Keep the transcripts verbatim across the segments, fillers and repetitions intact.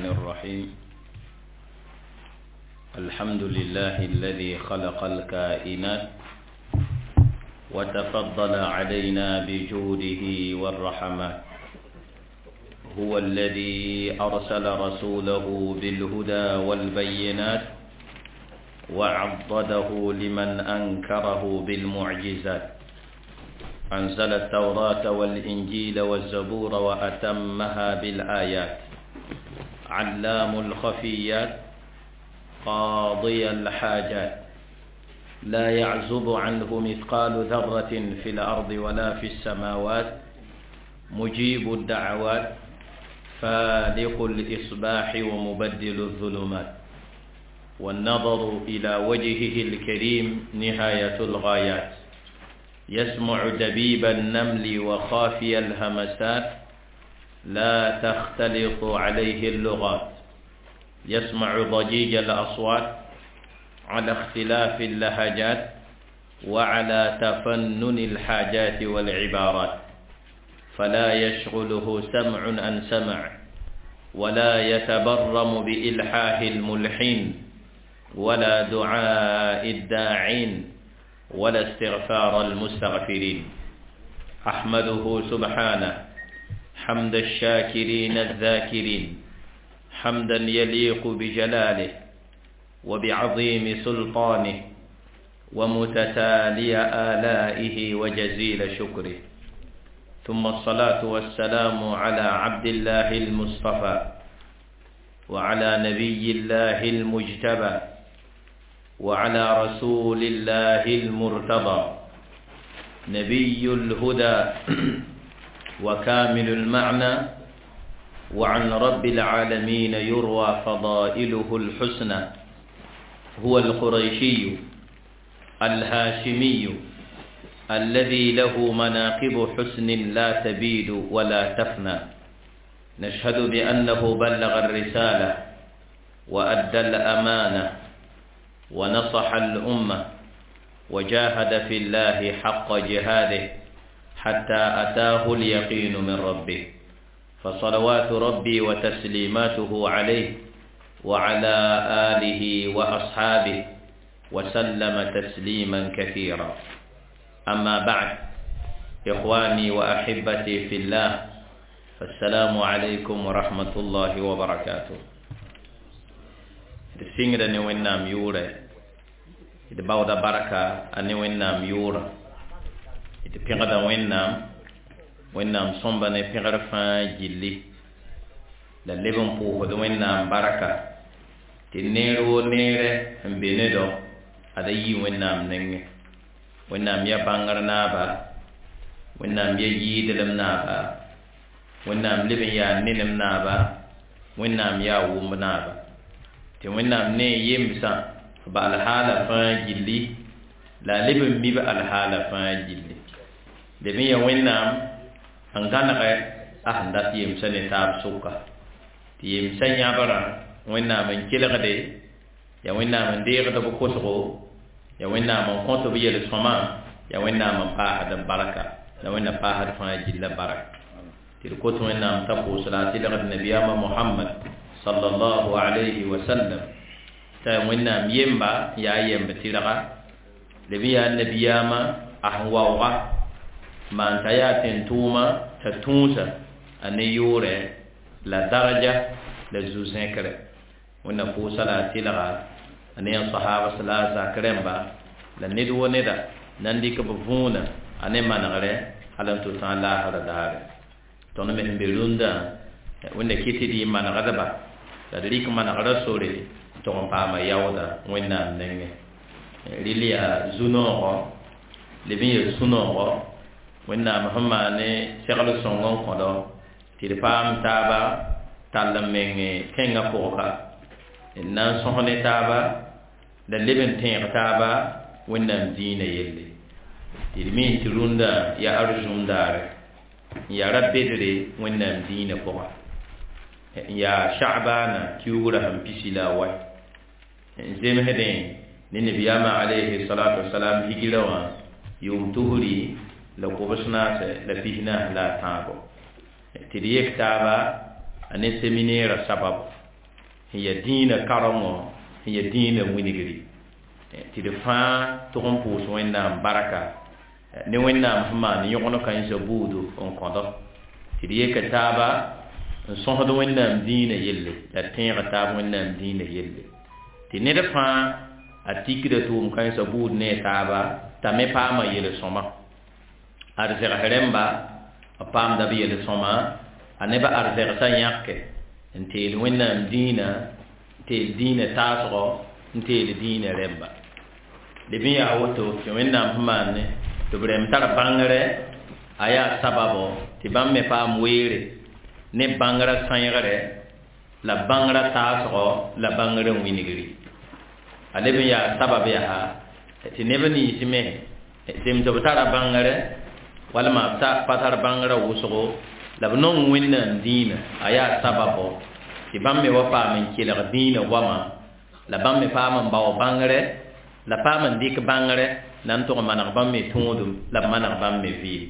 الرحيم. الحمد لله الذي خلق الكائنات وتفضل علينا بجوده والرحمات. هو الذي أرسل رسوله بالهدى والبينات وعضده لمن أنكره بالمعجزات. أنزل التوراة والإنجيل والزبور وأتمها بالآيات. علام الخفيات، قاضي الحاجات، لا يعزب عنه مثقال ذرة في الأرض ولا في السماوات، مجيب الدعوات، فالق الإصباح ومبدل الظلمات. والنظر إلى وجهه الكريم نهاية الغايات. يسمع دبيب النمل وخافي الهمسات، لا تختلط عليه اللغات. يسمع ضجيج الأصوات على اختلاف اللهجات وعلى تفنن الحاجات والعبارات، فلا يشغله سمع عن سمع، ولا يتبرم بإلحاح الملحين، ولا دعاء الداعين، ولا استغفار المستغفرين. أحمده سبحانه حمد الشاكرين الذاكرين، حمدا يليق بجلاله وبعظيم سلطانه ومتتالي آلائه وجزيل شكره. ثم الصلاة والسلام على عبد الله المصطفى وعلى نبي الله المجتبى وعلى رسول الله المرتضى، نبي الهدى وكامل المعنى، وعن رب العالمين يروى فضائله الحسنى. هو القريشي الهاشمي الذي له مناقب حسن لا تبيد ولا تفنى. نشهد بأنه بلغ الرسالة وأدى الأمانة ونصح الأمة وجاهد في الله حق جهاده حتى أتاه اليقين من ربه. فصلوات ربي وتسليماته عليه وعلى آله وأصحابه وسلم تسليما كثيرا. أما بعد، إخواني وأحبتي في الله، فالسلام عليكم ورحمة الله وبركاته. D sɩngda ne Wẽnnaam yʋʋrɛ, d baooda barka a ne Wẽnnaam yʋʋra, d pẽgda Wẽnnaam, Wẽnnaam sõmba ne pẽgr fãa gilli, la leb n pʋʋsd Wẽnnaam barka tɩ neer woo neerɛ n be ne dɔ ad a yii Wẽnnaam nengẽ. Wẽnnaam yaa bãngr naaba, Wẽnnaam yaa yɩɩdlem naaba, Wẽnnaam leb n yaa nenem naaba, Wẽnnaam yaa wʋmb naaba, tɩ Wẽnnaam ne yemsã b alhaala fãa gilli, la a leb n mi b alhaala fãa gilli. Leb n yaa Wẽnnaam n gãnegɛ a sẽn dat yemsã ne taab sʋka, tɩ yemsã yãbrã Wẽnnaam n kelgde, yaa Wẽnnaam n deegd b kosgo, yaa Wẽnnaam n kõt b yel-sõma, yaa Wẽnnaam n paasd b barka, la Wẽnnaam paasd fãa gilla barka. Tɩ d kot Wẽnnaam t'a pʋʋs la a tɩlgd nabiyaamã Mohamad sallallahu alayhi wa sallam, t'a Wẽnnaam yemba yaa yemb tɩrga, leb n yaa nabiyaamã a sẽn waooga maan t'a yaa tẽn-tʋʋma t'a tũusa a ne yʋʋrɛ la daraja la zu-zẽkre. Wẽnnaam pʋʋsa la a tɩlga a ne yã sahabas la a zak rẽmba la ned wo neda nan dɩk b võona a ne manegrɛ hal n tʋ tã laasra daare. Tõnd me sẽn be rũndã, Wẽnna kɩ tɩ d yɩ manegdba la d rɩk manegrã sore n tʋg n paama yaooda Wẽnnaam nengẽ. Rɩl yaa zu-noogɔ, leb n yel sũ-noogɔ Wẽnnaam sẽn maan ne segl sõng n kõdo tɩ d paam taaba tall n meng tẽngã pʋgka n na n sõs ne taaba la leb n tẽeg taaba Wẽnnaam dĩinã yelle. Tɩ d mi tɩ rũndã yaa arzũm daare n yaa ra bedre Wẽnnaam dĩinã pʋga, n yaa Sha'bana kiugrã sẽn pisi la a wae n zemsdẽ ne nabiyaamã alayhi salatu wasalam higira wã yʋʋm tusri la kobs naase la pis naas la a tãabo. Tɩ d yek taaba a ne seminɛɛrã sabab. Sẽn yaa dĩinã karengo, sẽn yaa dĩinã wilgri, tɩ d fãa tʋg n pʋʋs Wẽnnaam barka ne Wẽnnaam sẽn maan yõgen kãensã buudu n kõdo tɩ d yeka taaba n sõsd Wẽnnaam dĩinã yelle la d tẽega taab Wẽnnaam dĩinã yelle tɩ ned fãa a tikda tʋʋm kãensã buud ne a taaba t'a me paama yel-sõma. Arzɛgs rẽmba b paamda b yel-sõma, a nebã arzɛgsã yãke n teel Wẽnnaam dĩinã, n teel dĩinã taasgo, n teel dĩinã rẽmba. Leb n yaa woto tɩ Wẽnnaam sẽn maan ne tɩ b rẽmb tar bãngre, a yaa sababo tɩ bãmb me paam weere ne bãngrã sãeegre la bãngrã taasgo la bãngrã wilgri. A leb n yaa sabab yaa tɩ neb nins me zems b tara bãngre walma b pa tar bãngrã wʋsgo la b nong Wẽnnaam dĩinã, a yaa sababo tɩ bãmb me wa paam n kelg dĩinã goama la bãmb me paam n bao bãngre la paam n dɩk bãngre na n tʋg maneg bãmb me tõodum la b maneg bãmb me vɩɩm.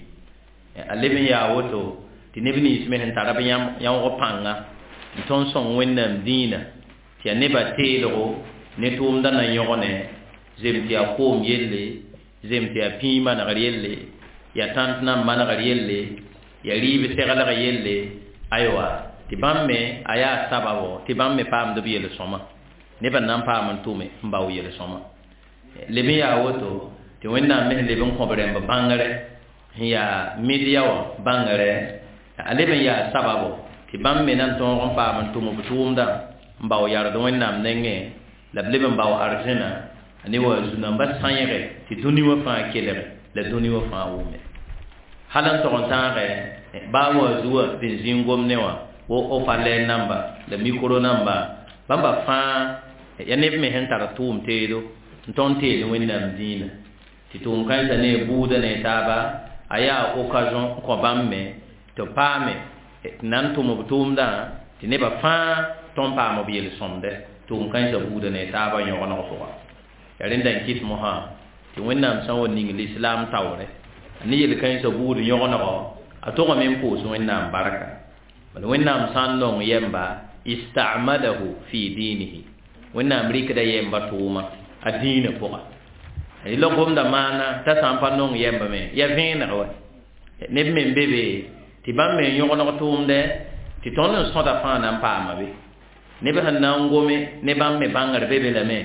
A leb n yaa woto tɩ neb nins me sẽn tara b yãoog pãnga n tõnd sõng Wẽnnaam dĩinã tɩ yaa nebã teelgo ne tʋʋmdã na yõgne, zem tɩ yaa koom yelle, zem tɩ yaa pĩig manegr yelle, yaa tãnt nan manegr yelle, yaa rɩɩb seglg yelle, aywa tɩ bãmb me a yaa sababo tɩ bãmb me paamd b yel-sõma, nebã na n paam n tʋme n bao yel-sõma. Leb n yaa woto tɩ Wẽnnaam me sẽn leb n kõb rẽmb bãngre sẽn yaa media wã bãngre, a leb n yaa sababo tɩ bãmb me na n tõog n paam n tʋm b tʋʋmdã n bao yard Wẽnnaam nengẽ la b leb n bao arzẽna ne wa zu-nambã sãeege tɩ dũni wã fãa kelge la dũni wã fãa wʋme. Hal n tog n tãage baa wa zuwa tɩ n zĩ n gom ne wã wo haut-parleur namba la micro namba, bãmba fãa ya neb me sẽn tar tʋʋm teedo n tõnd teel Wẽnnaam dĩinã tɩ tʋʋm kãensã ne buudã ne taaba a yaa occasion n kõ bãmb me tɩ b paame tɩ na n tʋm b tʋʋmdã tɩ nebã fãa tõnd paam b yel-sõmdɛ tʋʋm kãensã buudã ne taaba yõgeneg pʋga. Yaa rẽnda n kɩt mosã tɩ Wẽnnaam sã n wa ning lislaam taoore ne yel-kãensã buud yõgenego a togame n pʋʋs Wẽnnaam barka. Bala Wẽnnaam sã n nong yɛmba istamadahu fi dinihi, Wẽnnaam rɩkda yɛmba tʋʋma a dĩinã pʋga. La gomda maana t'a sã n pa nong yɛmba me ya vẽeneg wa neb me n be be tɩ bãmb me n yõgeneg tʋʋmdɛ tɩ tõnd n sõda fãa na n paama be. Neb sẽn na n gome ne bãmb me bãngr be be lame,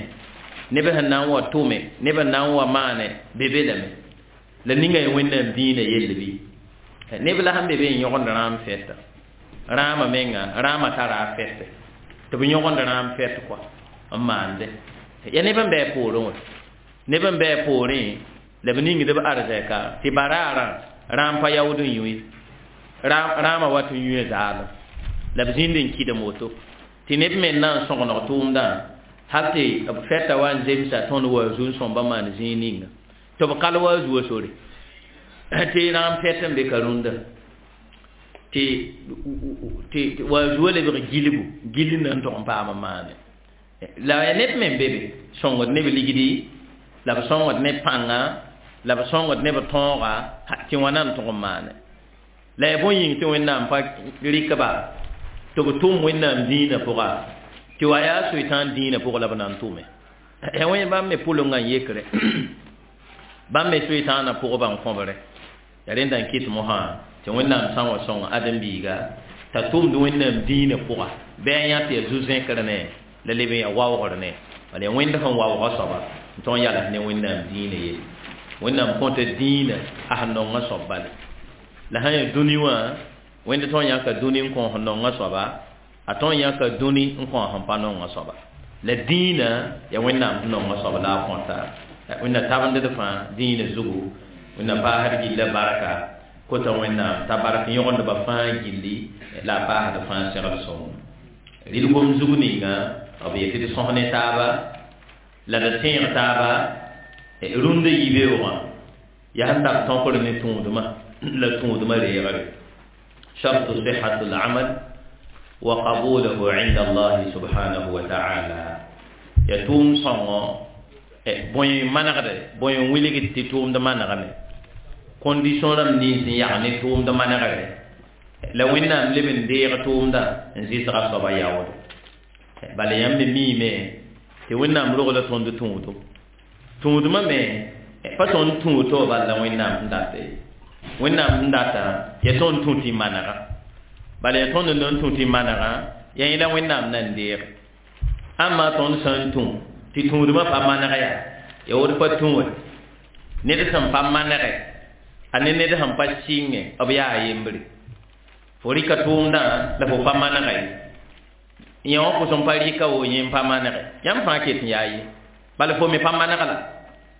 neb sẽn na n wa tʋme, neb sẽn na n wa maane be be lame, la ninga y Wẽnnaam dĩinã yell bɩ. Neb la sẽn be be n yõgend rãam fɛta, rãamã menga rãamã tara a fɛte tɩ b yõgend rãam fɛt kɔa n maande. Ya neb n bɩ a poorẽ wã, neb n bɩ a poorẽ la b ningd b arzɛka tɩ baraarã rãam pa yaood n yũ, rãamã wat n yũe zaalem la b zĩnd n kɩdem woto tɩ neb me n na n sõgeneg tʋʋmdã hal tɩ b fɛta wa n zemsa tõnd wa zu n sõmba maan zĩig ninga tɩ b kal wa a zuo sore tɩ rãam fɛt n be ka rũndã tɩ tɩ wa zuo lebg gilgu gill na n tʋg n paam n maane. La ya neb me n be be sõngd neb ligdi la b sõngd ne pãnga la b sõngd ne b tõoga tɩ wãna n tʋg n maane. La ya bõe yĩng tɩ Wẽnnaam pa rɩk-ba tɩ b tʋm Wẽnnaam dĩinã pʋga tɩ wa yaa soetãan dĩinã pʋgã la b na n tʋme. Ya wẽ bãmb me pʋlenga n yekre, bãmb me soetãanã pʋgba n kõbre. Ya rẽnda n kɩt mosã tɩ Wẽnnaam sã n wa sõng ãdem-biiga t'a tʋmd Wẽnnaam dĩinã pʋga bɩ a yã tɩ yaa zu-zẽkr ne la leb n yaa waoogr ne, bala yaa Wẽnd sẽn waooga soaba n tõog n yals ne Wẽnnaam dĩinã yelle. Wẽnnaam kõta dĩinã a sẽn nongã soab bale. La sã n yaa dũni wã Wẽnd tõog n yãka dũni n kõ sẽn nongã soaba, a tõog n yãka dũni n kõ sẽn pa nongã soaba. La dĩinã yaa Wẽnnaam sẽn nongã soab la a kõta. Wẽnna tabend d fãa dĩinã zugu, Wẽnna paasd gilla barka, kota Wẽnnaam t'a bark yõgendbã fãa gilli la a paasd fãa segl sõngo. Rɩl gom zug ninga b yetɩ d sõs ne taaba la d tẽeg taaba rũndã yibeoogã yaa sẽn tar tõkr ne tũudmã la tũudmã reegre. Shartu sihhatu al-amal wa qabulahu inda Allah subhanahu wa ta'ala. Ya tʋʋm sõngo bõe manegde, bõe n wilgd tɩ tʋʋmd manegame, condition rãmb nins n yag ne tʋʋmd manegre la Wẽnnaam leb n deeg tʋʋmdã n zɩsga soaba yaood. Bala yãmb me miime tɩ Wẽnnaam rogla tõnd tũudo tũudmã me pa tõnd tũud to bal la Wẽnnaam sẽn data ye Wẽnnaam sẽn data ya tõnd tũ tɩ manega bala ya tõnd n tũ tɩ manega ya yẽ la Wẽnnaam nan deege ãmma tõnd sã n tũ tɩ tũudmã pa maneg yaa ya woto pa tũ we ned sẽn pa manege a ne ned sẽn pa sɩnge b yaa a yembre fo rɩka tʋʋmdã la fo pa manega ye yẽ wã pʋsẽ pa rɩka wo yẽ n pa manege yãmb fãa ket n yaa ye bala fo me pa maneg la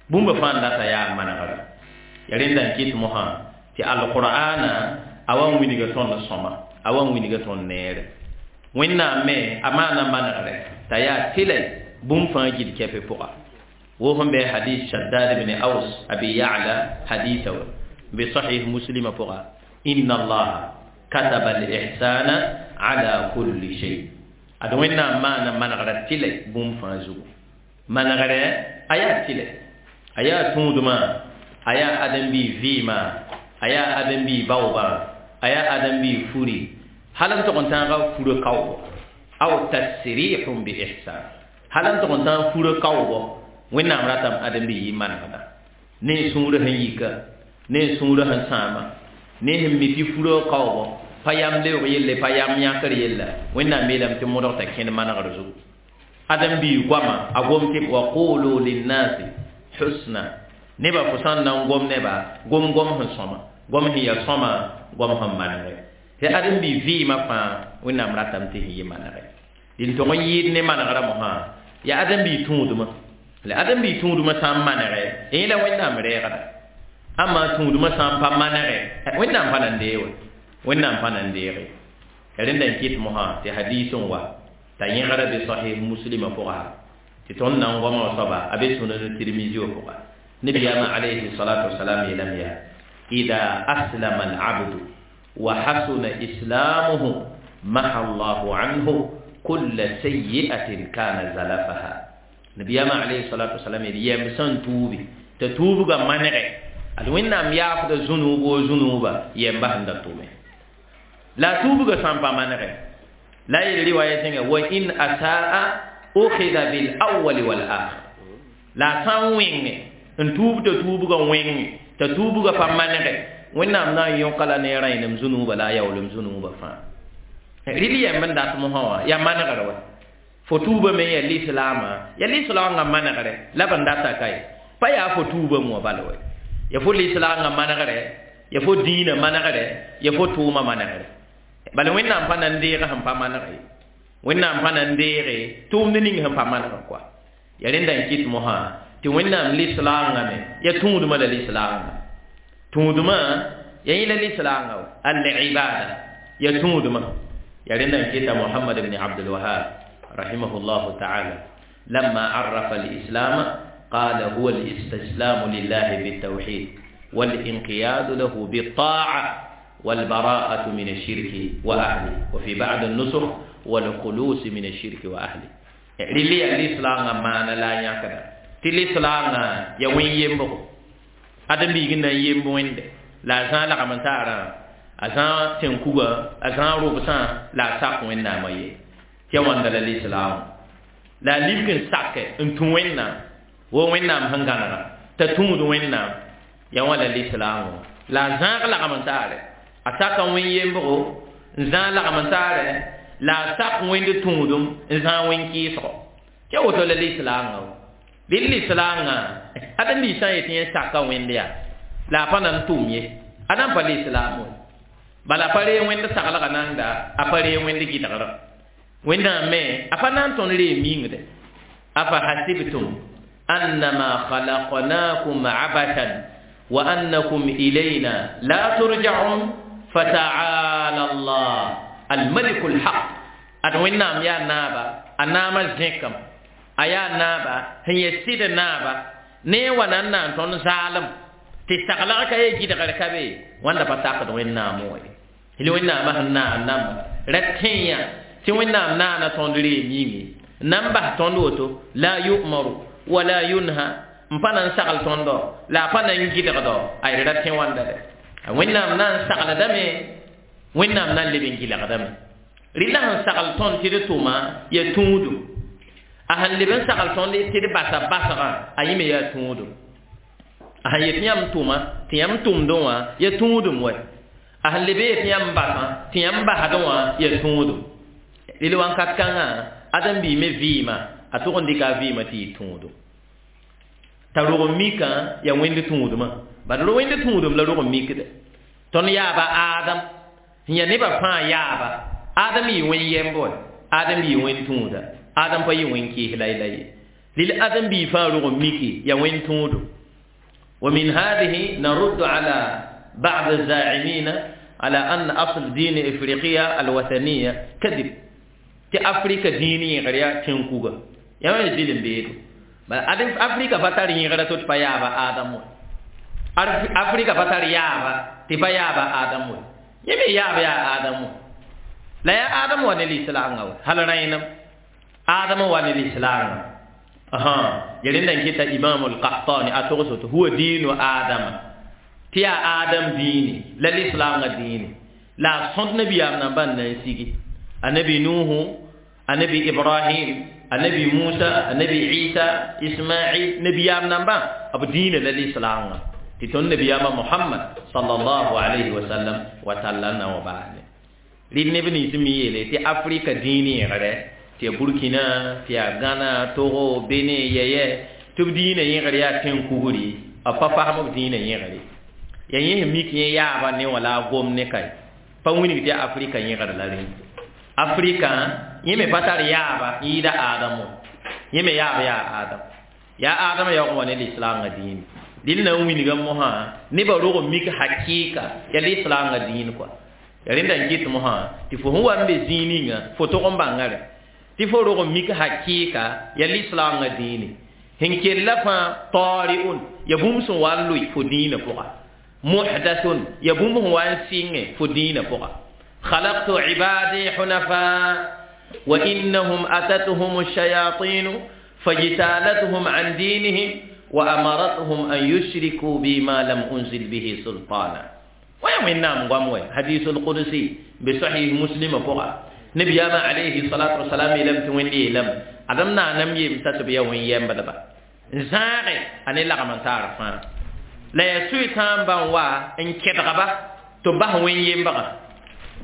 bũmba fãa n data yaa manegrã ya rẽnda n kɩt mosã tɩ alqur'ana a wa n wilga tõnd sõma a wa n wilga tõnd neere Wẽnnaam me a maana manegre t'a yaa tɩlɛ bũmb fãa gil kɛpɛ pʋga wo sẽn bɩ hadis Shaddad ibn Aws Abi Ya'la hadisa wa bi sahih Muslima pʋga inna Allaha kataba al-ihsana ala kulli shay ad Wẽnnaam maana manegrã tɩlɛ bũmb fãa zugu manegre a yaa tɩlɛ a yaa tũudmã a yaa ãdem-biig vɩɩmã a yaa ãdem-biig baoobã a yaa ãdem-biig furi hal n tog n tãaga furã kaoogo aw tasrihun bi ihsan hal n tog n tãag furã kaoogo Wẽnnaam ratame ãdem-biig yɩ manegda ne sũurã sẽn yika ne sũurã sẽn sãama ne sẽn mi tɩ furã kaoogo pa yam leoog yelle pa yam yãkr yella Wẽnnaam yeelame tɩ modg t'a kẽnd manegr zugu ãdem-biig goama a gom tɩ wa qulu linnasi husna nebã fo sã n na n gom neba gom gom sẽn sõma gom sẽn yaa sõma gom sẽn manege tɩ ãdem-biig vɩɩmã fãa Wẽnnaam ratame tɩ sẽn yɩ manege dɩn tog n yɩɩd ne manegrã mosã yaa ãdem-biig tũudmã la ãdem-biig tũudmã sã n manege yẽ la Wẽnnaam reegda ãmma tũudmã sã n pa manege Wẽnnaam pa na n deeg we Wẽnnaam pa na n deege rẽnda n kɩt mosã tɩ hadiis n wa t'a yẽgra be sahih Muslima pʋga tɩ tõnd na n goama wã soaba a be Sunan Tirmizi wã pʋga Nabiyaamã alayhi salatu wasalam yeelame yaa ida aslama alabdu wa hasuna islamuhu maha Allahu anhu kulla sayyi'atin kana zalafaha Nabiyaamã alayhi salatu wasalam yeel yɛm sẽn tuubi t'a tuubga manege ad Wẽnnaam yaafda zũnuub wo zũnuuba yɛm bas n da tʋme la a tuubga sã n pa manege la yel riwaya tẽnga wa in asaa ukhidha bil awwal wal akhir la a sã n wẽnge n tuub t'a tuubga wẽnge t'a tuubga pa manege Wẽnnaam na n yõka la ne rãenem zũnuuba la a yaoolem zũnuuba fãa rɩl yɛmb n dat mosã wã yaa manegr wa fo tuubame ya lislaamã ya lislaangã manegre la b n data ka ye pa yaa fo tuubame wã bala wa ya fo lislaangã manegre ya fo dĩinã manegre ya fo tʋʋmã manegre bala Wẽnnaam pa na n deeg sẽn pa maneg ye Wẽnnaam pa na n deege tʋʋmd ning sẽn pa maneg koa ya rẽnda n kɩt mosã tɩ Wẽnnaam lislaangã me ya tũudmã la lislaangã tũudmã ya yẽ la lislaangã wa al-ibada ya tũudmã ya rẽnda n kɩta Muhammad ibn Abdul Wahab rahimahullahu ta'ala lamma arrafa al-islam qala huwa al-istislam lillahi bit-tawhid wal-inqiyad lahu bit-ta'a والبراءة من الشرك وأهله وفي بعض النسخ والخلوص من الشرك وأهله للي الإسلام ما لا يكذا تلإسلام يا وين يمبو أدم بيجنا يمبو وين لا زال لا كمان تارا أزان تنكوبا أزان روبسان لا ساق وين نامي تيوان دل الإسلام لا ليبكن ساق انتو وين نام وين نام هنغانا تتوم وين نام يا ولا الإسلام لا زال لا كمان تارا a sak n wẽn yembgo n zãag lagm n taare la a sak wẽnd tũudum n zãag wẽn kɩɩsgo tɩ woto la lislaangã bɩ lislaangã ãdem-biig sã n yetɩ yẽ saka wẽnd yaa la a pa na n tʋm ye a na n pa lislaam we bala a pa ree wẽnd saglgã nanda a pa ree wẽnd gɩdgrã Wẽnnaam me a pa na n tõnd ree mingde afa hasibtum annama khalaqnakum abathan wa annakum ilayna la turja'un fata'ala Allah al-malik al-haq ad Wẽnnaam yaa naaba a naamã zẽkame a yaa naaba sẽn yɛ sɩd naaba ne wa na n na n tõnd zaalem tɩ saglg ka ye gɩdgr ka be wãnda pa sakd Wẽnnaam wã ye la Wẽnnaamã sẽn naan namba ra tẽeya tɩ Wẽnnaam naana tõnd ree minge na n bas tõnd woto la yu'maru wa la yunha n pa na n sagl tõndo la a pa na n gɩdgdo a ra tẽ wãnda dɛ Wẽnnaam na n sagldame Wẽnnaam na n leb n gɩlgdame Rɩla sẽn sagl tõnd tɩ d tʋma ya tũudum. A sẽn leb n sagl tõnd tɩ d basa basgã, a yẽ me yaa tũudum. A sẽn yet yãmb tʋma tɩ yãmb tʋmdẽ wã ya tũudum wɛ. A sẽn leb n yet yãmb basã tɩ yãmb basdẽ wã ya tũudum. Rel wãnkat kãngã ãdem-biig me vɩɩmã a tʋg n dɩka a vɩɩmã tɩ yɩ tũudum. T'a rog n mikã yaa wẽnd tũudmã. Bad wẽnd tũudum la rog n mikde. Tõnd yaaba Adam sẽn yaa nebã fãa yaaba. Adam yɩ wẽn yɛmb wɛ, Adam yɩ wẽn tũuda, Adam pa yɩ wẽn kɩɩs la ye. Lil ãdem-biig fãa rog n miki yaa wẽn tũudum. ومن هذه نرد على بعض الزاعمين على أن أصل دين إفريقيا الوثنية كذب. تي أفريقيا ديني غريا تنكوغا يا ما يزيل بيدو. بل أفريقيا فتر يغرا توت بيابا آدم. أفريقيا فتر يابا تبيابا آدم. يمي يابا يا آدم. لا يا آدم وان الإسلام هل رأينا آدم وان الإسلام. أها يلين دنك تا إمام القحطاني أتوقسوت هو دين آدم. تيا آدم ديني لا الإسلام ديني. لا صد نبي أمنا بان نسيجي. النبي نوح، النبي إبراهيم، النبي موسى، النبي عيسى، إسماعيل، نبي أمنا بان أبو دين لا الإسلام. تتون نبي أمنا محمد صلى الله عليه وسلم وتعالى وبعد. لين نبي نسميه لي تي أفريقيا ديني غيره. تي بوركينا، تي غانا، توغو، بنين، يي تب دين يغري تين كوغري، أبا فهم دين يغري. يعني ميك يا با ني ولا غوم ني كاي. با ويني تي أفريقيا يغري لالين. أفريقيا يمي باتار يا با يدا آدم. يمي يا با يا آدم. يا آدم يا غوم ني الإسلام دين. دين نا ويني غموها ني با روغ ميك حقيقة يا الإسلام دين كو. يا ريندا نكيت موها تي فو هو امبي زينينغا فوتو كومبانغاري. Tɩ fo rog n mik hakɩɩka yaa lislaangã dĩine. Sẽn kella fãa taari'un yaa bũmb sẽn wa n loe fo dĩinã pʋga. Muhdathun yaa bũmb sẽn wa n sɩngẽ fo dĩinã pʋga. Khalaqtu ibadi hunafa wa innahum atatuhum ash-shayatin fajtalatuhum an dinihim wa amaratuhum an yushriku bima lam unzil bihi sultana. Wa ya wẽnnaam goam wɛ hadisul qudsi bi sahih muslim pʋga. نبي ما عليه الصلاة والسلام لم توني لم أدمنا نم يم تتبيا وين يم بدبا زاري أنا لا كمان تعرف لا يسوي تام بانوا إن كتغبا تباه وين يم بقى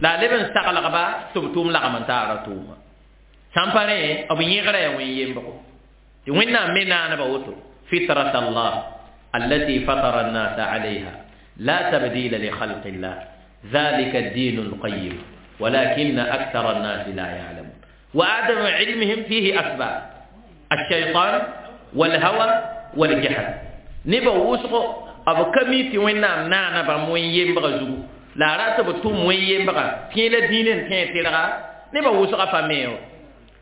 لا لبن استقل غبا تبتوم لا كمان تعرف توم سامبري أبو يغرى وين يم بقى وين منا أنا بقوله فطرة الله التي فطر الناس عليها لا تبديل لخلق الله ذلك الدين القيم ولكن أكثر الناس لا يعلمون. وعدم علمهم فيه أسباب الشيطان والهوى والجهل. نبا وسق أبو كميتي وين نام نانا بموين يمبغ زو لا رأس بتوم وين يمبغ تين الدين تين تلقى نبا وسق فميو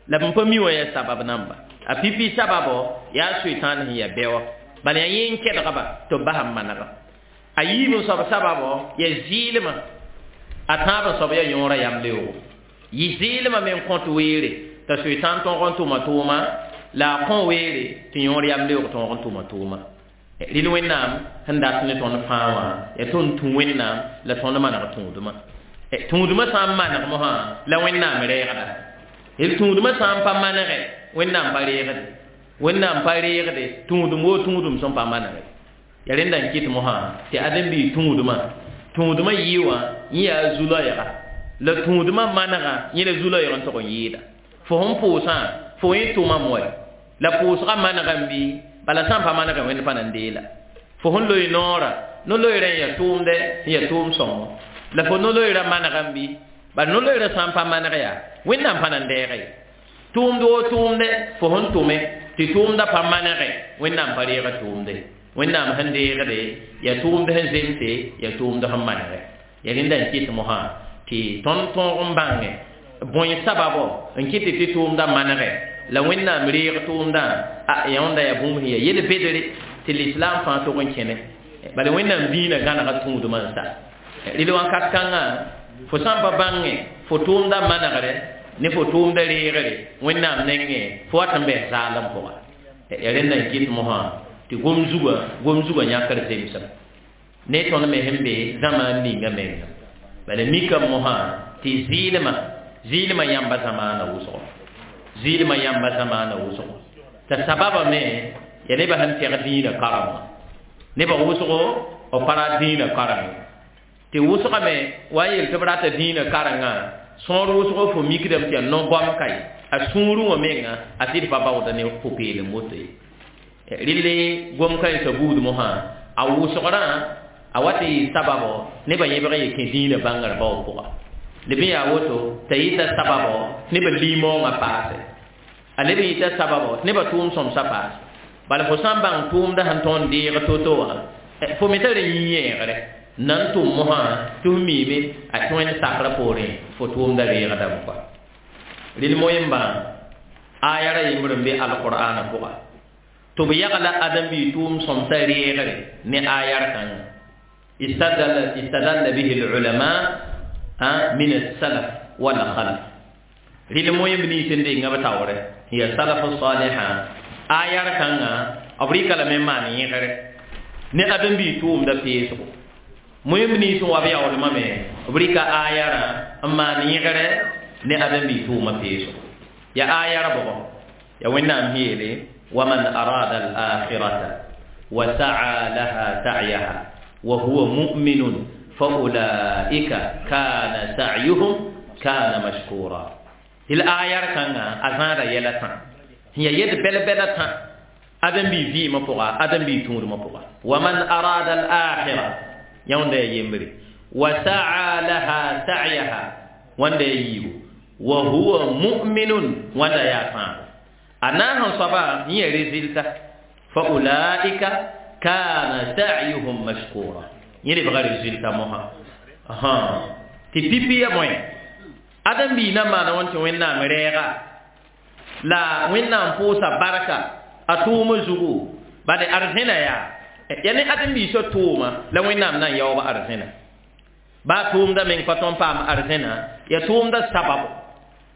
لبن بميو يا سبب نامبا أبي سببه يا شيطان هي بيو بل ين كده تبهم منغ أيب سبب سببه يا زيلما a tãab soab yaa yõora yam leoogo. Yɩ zɩɩlmã me n kõt weere t'a soetãn tõog n tʋma tʋʋma la a kõ weere tɩ yõor yam leoog tõog n tʋma tʋʋma. Rɩl Wẽnnaam sẽn dat ne tõnd fãa wã yaa tõnd tũ Wẽnnaam la tõnd maneg tũudmã. Tũudmã sã n maneg mosã la Wẽnnaam reegda. D tũudmã sã n pa manege Wẽnnaam pa reegde. Wẽnnaam pa reegde tũudum woo tũudum sẽn pa manege. Yaa rẽnda n kɩt mosã tɩ ãdem-biig tũudmã tũudmã yɩ wã yẽ yaa zu-loɛɛga la tũudmã manegã yẽ la zu-loɛɛg n tog n yɩɩda. Fo sẽn pʋʋsã fo yẽ tʋmame wɛ la pʋʋsgã manegame bɩ bala sã n pa manegẽ wẽnd pa na n deela. Fo sẽn loe noorã no-loeerã n yaa tʋʋmdɛ n yaa tʋʋm sõngo la fo no-loeerã manegame bɩ bala no-loeerã sã n pa maneg yaa Wẽnnaam pa na n deege ye. Tʋʋmd woo tʋʋmdɛ fo sẽn tʋme tɩ tʋʋmdã pa manege Wẽnnaam pa reega tʋʋmde. Wẽnnaam sẽn deegde yaa tʋʋmd sẽn zemse yaa tʋʋmd sẽn manege. Yaa rẽnda n kɩt mosã tɩ tõnd tõog n bãnge bõe sababo n kɩt tɩ tʋʋmdã manege la Wẽnnaam reeg tʋʋmdã a yõnda yaa bũmb sẽn yaa yel-bedre tɩ lislaam fãa tog n kẽne. Bala Wẽnnaam dĩinã gãnega tũudmã n sa. Rɩl wãnkat kãngã fo sã n pa bãnge fo tʋʋmdã manegre ne fo tʋʋmdã reegre Wẽnnaam nengẽ fo wat n bɛs zaalem pʋga. Yaa rẽnda n kɩt mosã tɩ gom zugã gom zugã yãkr zemsem ne tõnd me sẽn be zãmaan ninga menga. Bala mikame mosã tɩ zɩɩlmã Zɩɩlmã yãmba zamaana wʋsgo zɩɩlmã yãmba zamaana wʋsgo t'a sababa me ya nebã sẽn tɛg dĩinã karengã nebã wʋsgo b pa ra dĩinã kareng tɩ wʋsgame wa n yel tɩ b rata dĩinã karengã sõor wʋsgo fo mikdame tɩ yaa no-goam ka ye a sũurẽ wã menga a sɩd pa baooda ne pʋ-peelem woto ye rɩle gom-kãensã buud mosã a wʋsgrã a wa tɩ yɩ sababo nebã yẽbg n ye kẽ dĩinã bãngr bao pʋga leb n yaa woto t'a yɩta sababo nebã limaoongã paase a leb n yɩta sababo nebã tʋʋm sõmsã paase bala fo sã n bãng tʋʋmda sẽn tõnd n deeg to-to wã fo me tara yĩ-yẽegre nan tʋm mosã tɩ f miime a tɩ wẽnd sakrã poorẽ fo tʋʋmda reegdame kɔa rɩl moyen-bã aya ra yembr n be alqur'ana pʋga tɩ b yagla ãdem-biig tʋʋm sõmsã reegre ne ayar kãngã istadalla istadalla bihi al-ulama min as-salaf wal khalaf rɩl moyen-b nins n denga b taoore ya salaf saliha ayar kãngã b rɩka lame n maan yẽgre ne ãdem-biig tʋʋmda peesgo moyen-b nins n wa b yaoolmã me b rɩka ayarã n maan yẽgre ne ãdem-biig tʋʋmã peesgo ya ayar bʋgɔ ya wẽnnaam sẽn yeele waman arada al-akhirata wa sa'a laha sa'yaha wa huwa mu'minun fa ulaika kana sa'yuhum kana mashkura tɩ la ayar kãngã a zãada yɛla tã sẽn ya yed bɛl-bɛla tã ãdem-biig vɩɩmã pʋga ãdem-biig tũudmã pʋga waman arada al-akhira yãwda ya yembre wa sa'a laha sa'yaha wãnda ya yiibu wa huwa mu'minun wãnda yaa tãabo a na n sẽn soaba yẽ ya résultat fa ulaika kana sa'yuhum mashkura yẽ lebga résultat mosã tɩ pipi ya bõe ãdem-biig na n maana wãn tɩ wẽnnaam rɛɛga la wẽnnaam pʋʋsa barka a tʋʋmã zugu bade arzẽna yaa ya ne ãdem-biisã tʋʋma la wẽnnaam na n yaoob arzẽna baa tʋʋmda meng pa tõnd paam arzẽna ya tʋʋmda sababo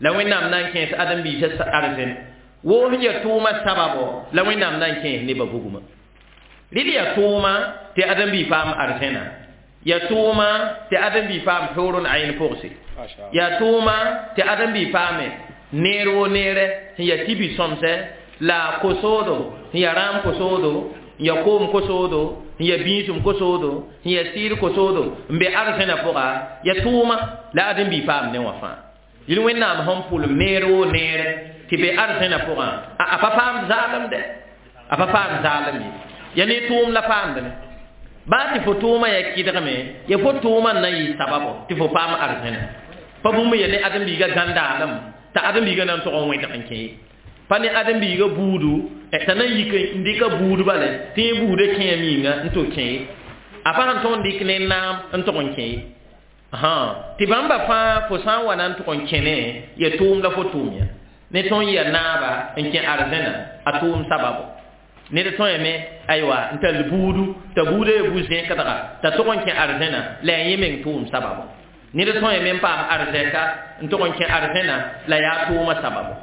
la wẽnnaam na n kẽes ãdem-biisã arzẽn woo sẽn ya tʋʋma sababo la wẽnnaam na n kẽes nebã bugmã rɩl ya tʋʋma tɩ ãdem-biig paam arzẽna ya tʋʋma tɩ ãdem-biig paam hurun ayn pʋgse ya tʋʋma tɩ ãdem-biig paame neer wo neerɛ sẽn ya tibi sõmsɛ la kosoodo sẽn ya rãam kosoodo n ya koom kosoodo sẽn ya bĩisem kosoodo sẽn ya sɩɩd kosoodo n be arzẽna pʋga ya tʋʋma la ãdem-biig paam ne wã fãa yel wẽnnaam sẽn pʋlem neer wo neerɛ tɩ be arzẽna pʋgã a pa paam zaalem dɛ a pa paam zaalem ye ya ne tʋʋm la paamdame baa tɩ fo tʋʋmã ya kɩdgme ya fo tʋʋmã n na yɩ sababo tɩ fo paam arzẽna pa bũmb ya ne ãdem-biigã gãndaalem t'a ãdem-biigã na n tog n wẽdg n kẽ ye pa ne ãdem-biigã buudu t'a na n yik n dɩka buud bale tɩ yẽ buudã kẽem yĩnga n tɩ kẽ ye a pa sẽn tõg n dɩk ne naam n tog n kẽ ye tɩ bãmba fãa fo sã n wa na n tog n kẽne ya tʋʋm la fo tʋʋm ya ne tõnd ya naaba n kẽ arzẽna a tʋʋm sababo ned tõe me aywa n tall buudu t'a buudã ya bu-zẽkdga t'a tog n kẽ arzẽna la yaa yẽ meng tʋʋm sababo ned tõe me n paam arzɛka n tog n kẽ arzẽna la yaa tʋʋmã sababo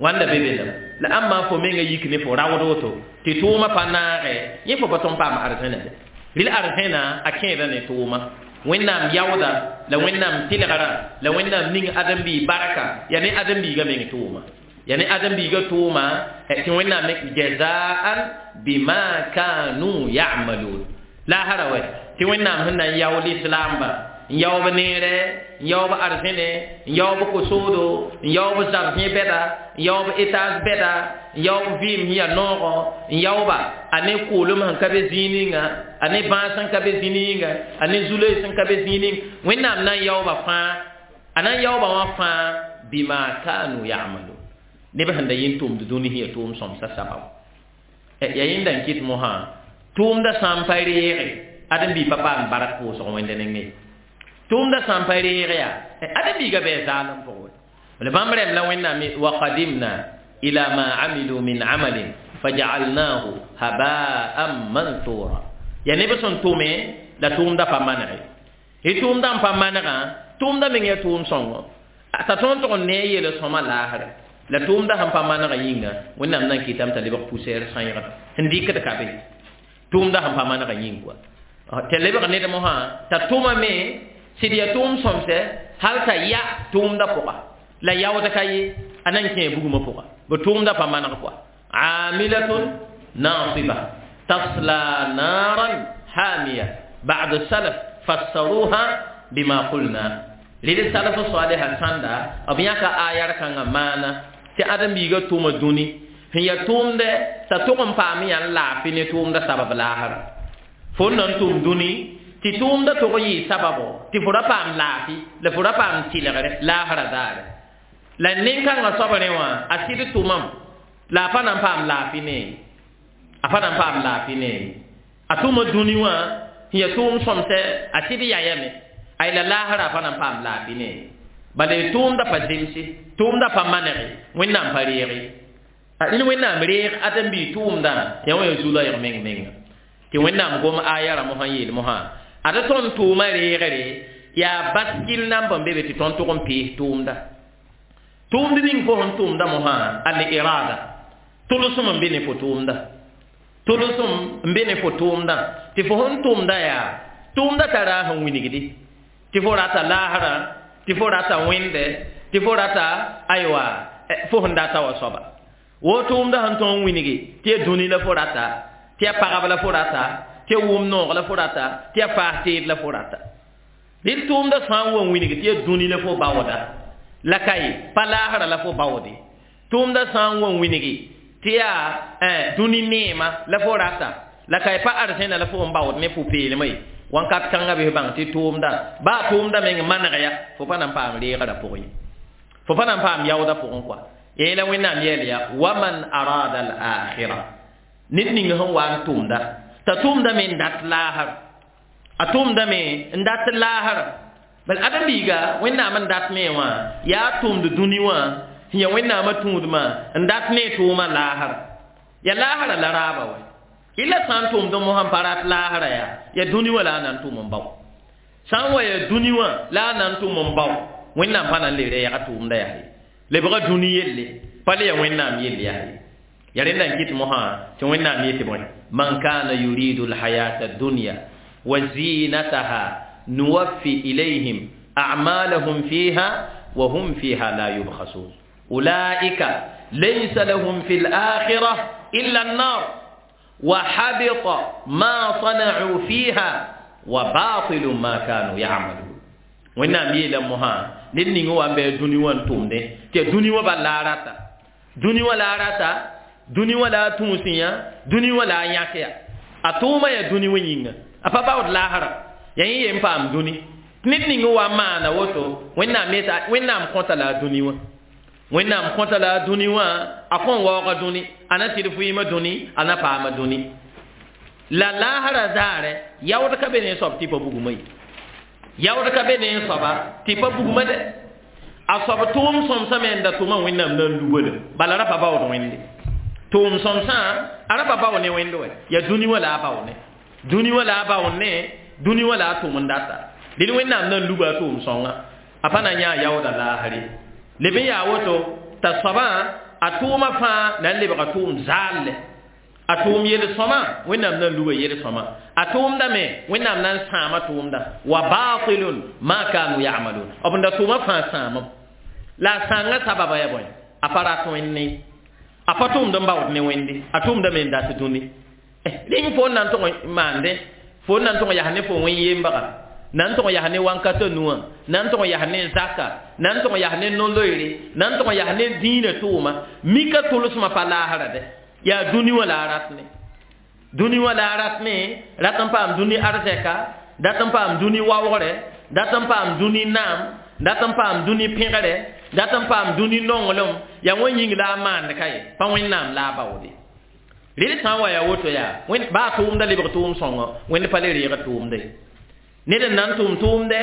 wãnda be be lame la ãmba fo menga yik ne fo raood woto tɩ tʋʋmã pa naage yẽ fo pa tõnd paam arzẽna de rɩl arzẽna a kẽeda ne tʋʋma wẽnnaam yaooda la wẽnnaam tɩlgrã la wẽnnaam ning ãdem-biig barka yaa ne ãdem-biigã meng tʋʋma ya ne ãdem-biigã tʋʋma tɩ wẽnnaam jazaan bima kanu ya'malun la asara wɛ tɩ wẽnnaam sẽn na n yaool islaamba n yaoob neere n yaoob arzẽne n yaoob kosoodo n yaoob zab-zẽ bɛda n yaoob etage bɛda n yaoob vɩɩm sẽn yaa noogɔ n yaooba a ne koolem sẽn ka be zĩig ninga a ne bãas sẽn ka be zĩig ninga a ne zu-loees sẽn ka be zĩig ning wẽnnaam na n yaooba fãa a na n yaooba wã fãa bima kanu ya'malun neb sẽn da yẽ tʋmd dũni sẽn ya tʋʋm sõmsã sababo ya yẽnda n kɩt mosã tʋʋmda sã n pa reege ãdem-biig pa paam bark pʋʋsg wẽnd nengẽ tʋʋmda sã n pa reege yaa ãdem-biigã bɩ zaalem pʋgẽ la bãmb rẽmb la wẽnnaam wa qadimna ila ma amilu min amalin faja'alnahu haba'an mansura ya neb sẽn tʋme la tʋʋmda pa manege y tʋʋmda n pa manegã tʋʋmda meng ya tʋʋm sõngo t'a tõnd tʋg n ne a yel sõma laasrɛ la tʋʋmda sẽn pa manegã yĩnga wẽnnaam na n kɩtame t'a lebg poussière sãeegda sẽn dɩkd ka be tʋʋmda sẽn pa manegã yĩng koa t'a lebg ned mosã t'a tʋmame sɩd ya tʋʋm sõmsɛ hal t'a ya tʋʋmda pʋga La yaood ka ye a na n kẽe bugmã pʋga b tʋʋmda pa maneg kɔa amilatun nasiba tasla naran hamiya. Ba'd salaf fassaruha bima qulna rɩd salaf saliha sãnda b yãka ayar kãngã maana tɩ ãdem-biigã tʋʋma dũni sẽn yaa tʋʋmdɛ t'a tʋg n paam yã n laafɩ ne tʋʋmda sabab laasra fo n na n tʋm dũni tɩ tʋʋmda tʋg n yɩ sababo tɩ fo ra paam laafɩ la fo ra paam tɩlgre laasra daare la nin-kãngã soab rẽ wã a sɩd tʋmam la a pa na n paam laafɩ ne a pa na n paam laafɩ ne a tʋma dũni wã sẽn yaa tʋʋm sõmsɛ a sɩd yayame ay la laasra a pa na n paam laafɩ ne bala tʋʋmda pa zemse tʋʋmda pa manege wẽnnaam pa reege rẽnd wẽnnaam reeg ãdem-biig tʋʋmdã yaa wã yaa zu-loɛɛg meng menga tɩ wẽnnaam gom aya rã mosã n yeel mosã ad tõnd tʋʋma reegre yaa baskil namb n be be tɩ tõnd tʋg n pees tʋʋmda tʋʋmd ning fo sẽn tʋʋmda mosã al irada tʋlsem n be ne fo tʋʋmda tʋlsem n be ne fo tʋʋmdã tɩ fo sẽn tʋʋmda yaa tʋʋmda tara sẽn wilgdi tɩ fo rata laasrã tɩ fo rata wẽnde tɩ fo rata aywa fo sẽn data wa soaba wo tʋʋmda sẽn tõog n wilgi tɩ ya dũni la fo rata tɩ ya pagb la fo rata tɩ ya wʋm noog la fo rata tɩ ya faas teed la fo rata rɩd tʋʋmda sã n wa n wilgi tɩ ya dũni la fo baooda la ka ye pa laasra la fo baoode tʋʋmda sã n wa n wilgi tɩ yaa dũni neema la fo rata la ka ye pa arzẽna la fo n baood ne pʋ-peelmã ye wãnkat kãngã bɩ bãng tɩ tʋʋmda baa tʋʋmda meng maneg ya fo pa na n paam reegrã pʋgẽ ye fo pa na n paam yaoodã pʋgẽ kɔa yẽla wẽnnaam yeel ya waman arada al akhira ned ning sẽn wa n tʋʋmda t'a tʋʋmda me n dat laasr a tʋʋmda me n dat laasr bal ãdem-biiga wẽnnaam n dat me wã yaa tʋʋmd dũni wã sẽn yaa wẽnnaamã tũudmã n dat ne tʋʋmã laasr ya laasrã la raaba wɛ illa sã n tʋʋmd mosã n pa rat laasrã yaa ya dũni wã la a na n tʋʋm n bao sã n wa ya dũni wã la a na n tʋʋm n bao wẽnnaam pa na n le reega tʋʋmda yaa ye lebga dũni yelle pa le ya wẽnnaam yell yaa ye ya rẽnda n kɩt mosã tɩ wẽnnaam yetɩ bõe man kana yuridu alhayata addunya wa zinataha nuwaffi ilayhim a'malahum fiha wa hum fiha la yubkhasun ulaika laysa lahum fi al-akhirah illa an-nar wa habita ma sana'u fiha wa batilu ma kanu ya'malun wẽnnaam yeela mosã ned ning wa n bɩ dũni wã n tʋmdẽ tɩ dũni wã bal la a rata dũni wã la a rata dũni wã la a tũusẽ yã dũni wã la a yãk ya a tʋʋmã yaa dũni wã yĩnga a pa baood laasrã yaa yẽ yen paam dũni ned ning wa n maana woto wẽnnaam wẽnnaam kõta la a dũni wã wẽnnaam kõta la a dũni wã a kõn waooga dũni a na tɩd fʋɩɩmã dũni a na paama dũni la laasrã zaarɛ yaood ka be ne soab tɩ pa bugmã ye yaood ka be ne soaba tɩ pa bugmã dɛ a soab tʋʋm sõmsã me n da tʋma wẽnnaam na n lubale bala ra pa baood wẽnde tʋʋm sõmsã a ra pa bao ne wẽnd wɛ yaa dũni wã la a bao ne dũni wã la a baood ne dũni wã la a tʋʋm n data dẽd wẽnnaam na n luba a tʋʋm sõnga a pa na yãa yaooda laasre leb n yaa woto t'a soabã a tʋʋmã fãa na n lebga tʋʋm zaalle a tʋʋm yel-sõma wẽnnaam na n luba yel-sõma a tʋʋmda me wẽnnaam na n sãama tʋʋmda wa batilun ma kanu ya'malun b n da tʋʋmã fãa sãamam la a sãangã sababa yaa bõe a pa rat wẽnde a pa tʋʋmd n baood ne wẽnde a tʋʋmda me n dat dũni rẽng fo n na n tʋg n maande fo n na n tʋg n yas ne fo wẽn-yembaga na n tʋg n yas ne wãnkatã nuwã na n tʋg n yas ne zaka na n tʋg n yas ne no-loeere na n tʋg n yas ne dĩinã tʋʋma mika tʋlsmã pa laasra dɛ yaa dũni wã la a rat ne dũni wã la a rat ne rat n paam dũni arzɛka dat n paam dũni waoogre dat n paam dũni naam dat n paam dũni pẽgre dat n paam dũni nonglem yaa wã yĩng la a maand ka ye pa wẽnnaam la a baoode rɩd sã n wa yaa woto yaa baa tʋʋmda lebg tʋʋm sõngo wẽnd pa le reeg tʋʋmda ye ned n na n tʋʋm tʋʋmdɛ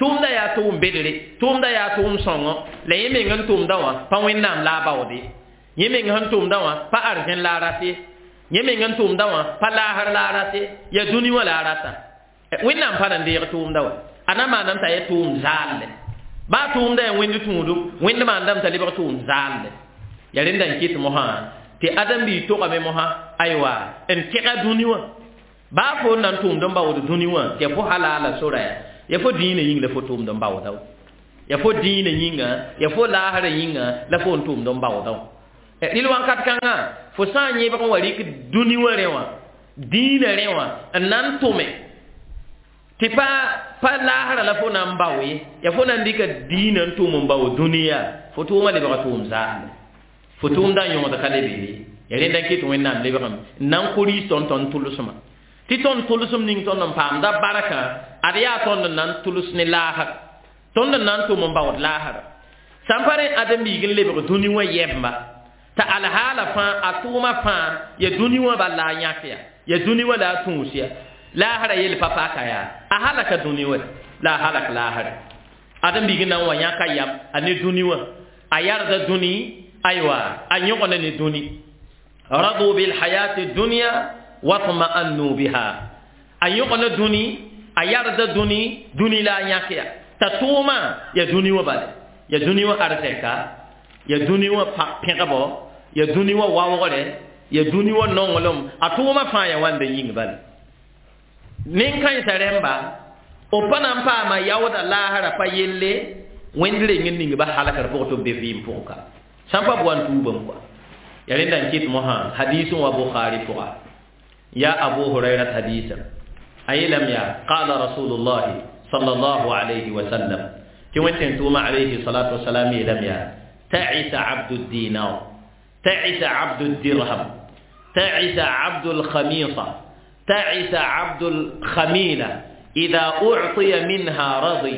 tʋʋmda yaa tʋʋm bedre tʋʋmda yaa tʋʋm sõngo la yẽ meng n tʋʋmda wã pa wẽnnaam la a baoode yẽ meng sẽn tʋʋmda wã pa arzẽn la a rat ye yẽ meng n tʋʋmda wã pa laasr la a rat ye yaa dũni wã la a rata wẽnnaam pa na n deeg tʋʋmda wa a na maanam t'a yaa tʋʋm zaalle baa tʋʋmda yaa wẽnd tũudu wẽnd maandame t'a lebg tʋʋm zaalle yaa rẽnda n kɩt mosã tɩ ãdem-biig togame mosã aywa n tẽga dũni wã baa fo n na n tʋʋmd n baood dũni wã tɩ ya fo halaala sora ya ya fo dĩinã yĩng la fo tʋʋmd n baooda wa Ya fo dĩinã yĩnga, ya fo laasrã yĩnga la fo n tʋʋmd n baoodã wã. Rɩl wãnkat kãngã fo sã n yẽbg n wa rɩk dũni wã rẽ wã, dĩinã rẽ wã n na n tʋme tɩ pa pa laasrã la fo na n bao ye, ya fo na n dɩka dĩinã n tʋm n bao dũniyã, fo tʋʋmã lebga tʋʋm zaamde, fo tʋʋmdã yõgd ka le be ye. Ya rẽnda n ket Wẽnnaam lebgame n na n kʋ riis tõnd tõnd tʋlsmã, tɩ tõnd tʋlsem ning tõnd n paamda barkã, ad yaa tõnd n na n tʋls ne laasr, tõnd n na n tʋm n baood laasra. Sã n pa rẽ ãdem-biig n lebg dũni wã yɛbma, t'a alhaala fãa, a tʋʋma fãa ya dũni wã bal la a yãk ya, ya dũni wã la a tũus ya, laasrã yel pa paka yaa, a halaka dũni wã la a halak laasrã. Ãdem-biig n na n wa yãka yam a ne dũni wã, a yarda dũni, aywa, a yõgna ne dũni. Radu bilhayati dunya watma'annu biha, a yõgna dũni, a yarda dũni, dũni la a yãk ya, t'a tʋʋmã ya dũni wã bale, ya dũni wã arzɛka, ya dũni wã pẽgbo, ya dũni wã waoogre, ya dũni wã nonglem, a tʋʋmã fãa ya wãnda yĩng bale. Nen-kãensã rẽmba b pa na n paama yaooda laasrã pa yelle, Wẽnd reng n ning ba halkr pʋgẽ tɩ b be vɩɩm pʋgẽ ka, sã n pa b wa n tuubame kɔa. Ya rẽnda n kɩt mosã hadiis n wa Bukhari pʋga, ya Abu Hurairat hadiisa, a yeelame yaa qala Rasulullahi sallallahu alayhi wa sallam, tɩ Wẽnd tʋʋma alayhi salatu wasalam yeelame yaa ta'isa abdu dinar, ta'isa abdu dirham, ta'isa abdu lkhamisa, ta'isa abdu lkhamila, idha u'tiya minha radi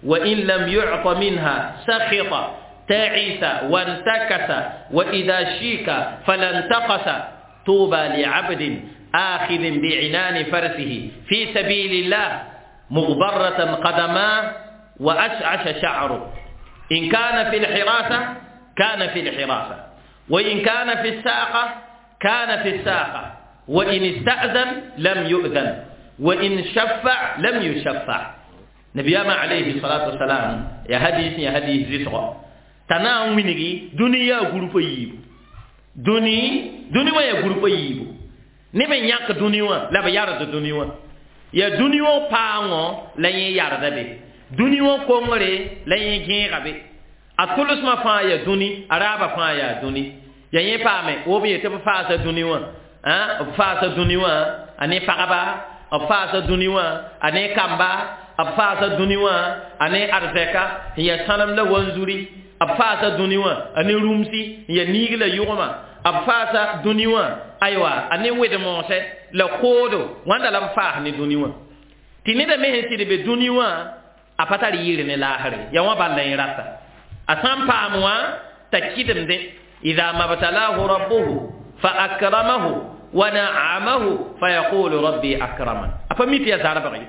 wa in lam yu'ta minha sakhita, ta'isa wantakasa wa idha shika falantaqasa, tuba li'abdin akhidhin bi'inani farsihi fi sabilillah mughbaratan qadamah wa ash'asha sha'ruhu, in kana fi al-hirasa kana fi al-hirasa, wa in kana fi as-saqa kana fi as-saqa, wa in ista'zan lam yu'zan, wa in shaffa' lam yushaffa'. Nabiyama alayhi salatu wassalam ya hadis ya hadis zisra tana winigi duniya gurupa yibu, duni duni wa ya gurupa yibu, ne me nyak duni wa la ba yarda duni wa, ya duni wa paango la ye yarda be, duni wa kongre la ye gẽega be, a tʋlsmã fãa ya dũni, a raabã fãa yaa dũni. Ya yẽ paame wo b yetɩ b faasa dũni wã, b faasa dũni wã a ne pagba, b faasa dũni wã a ne kamba, b faasa dũni wã a ne arzɛka n ya sãnem la wanzuri, b faasa dũni wã a ne rũmsi n ya niig la yʋgma, b faasa dũni wã aywa a ne wed-moosɛ la koodo, wãnda la b faas ne dũni wã. Tɩ neda me sẽn sɩd be dũni wã a pa tar yɩɩr ne laasre, ya wã bal la yẽ rata, a sã n paam wã t'a kɩdemdẽ, idha mabtalahu rabbuhu fa akramahu wa na'amahu fa yaqulu rabbi akraman, a pa mi tɩ ya zarbg ye,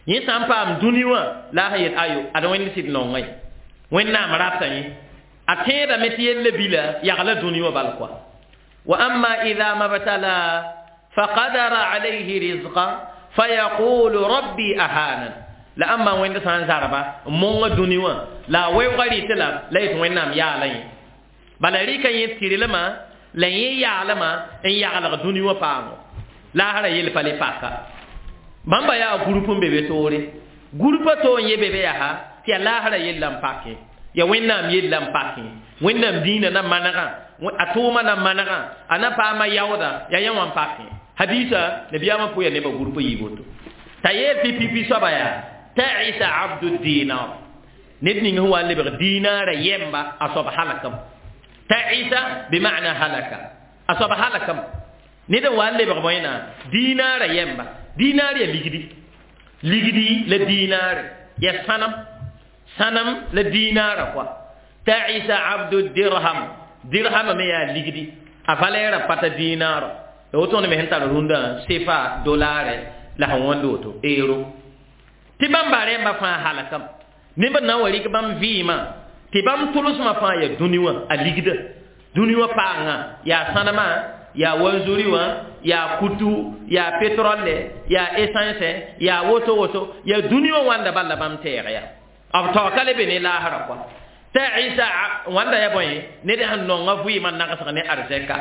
yẽ sã n paam dũni wã la a sẽn yet ayo ad Wẽnd sɩd nonga ye, Wẽnnaam rata yẽ, a tẽedame tɩ yella bila yagla dũni wã bal koa. Wa amma idha mabtala fa qadara alayhi rizqa fa yaqulu rabbi ahanan, la ãmba Wẽnd sã n zarba n monga dũni wã la a weoogã rɩtɩ la la yetɩ Wẽnnaam yaala yẽ, bala rɩka yẽ tɩrlmã la yẽ yaalmã n yaglg dũni wã paango, laasrã yel pa le paka. Bãmba yaa gũrp n be be toore, gũrpã to n ye be be yaa tɩ yaa laasrã yella n pakẽ, ya Wẽnnaam yella n pakẽ, Wẽnnaam dĩinã na manegã, a tʋʋmã na manegã, a na paama yaooda, ya yẽ wã n pakẽ. Hadiisa nabiyaamã pʋ ya nebã gũrpã yiib woto t'a yeel tɩ pipi soaba yaa ta'isa abdu dinar, ned ning sẽn wa n lebg dinaarã yɛmba a soab halakam, ta'isa bima'na halaka, a soab halakam, ned n wa n lebg bõe na dinaarã yɛmba, dinaar ya ligdi, ligdi la dinaare ya sãnem, sãnem la dinaarã koa. Ta'isa abdu dirham, dirhama me yaa ligdi, a valɛɛrã pata dinaarã, la woto me sẽn tar rũndã sefa dolaare la sẽn wãnd woto euro, tɩ bãmba rẽmba fãa halakam, neb n na n wa rɩk bãmb vɩɩmã tɩ bãmb tʋlsmã fãa ya dũni wã a ligda, dũni wã paangã yaa sãnemã, yaa wanzuri wã, yaa kutu, yaa pétrole, yaa essence, yaa woto woto, yaa dũni wã wãnda bal la bãmb tɛɛg ya, b taoka le be ne laasrã kɔa. Ta'isa wãnda ya bõe ned sẽn nonga vɩɩmã nagsg ne arzɛka.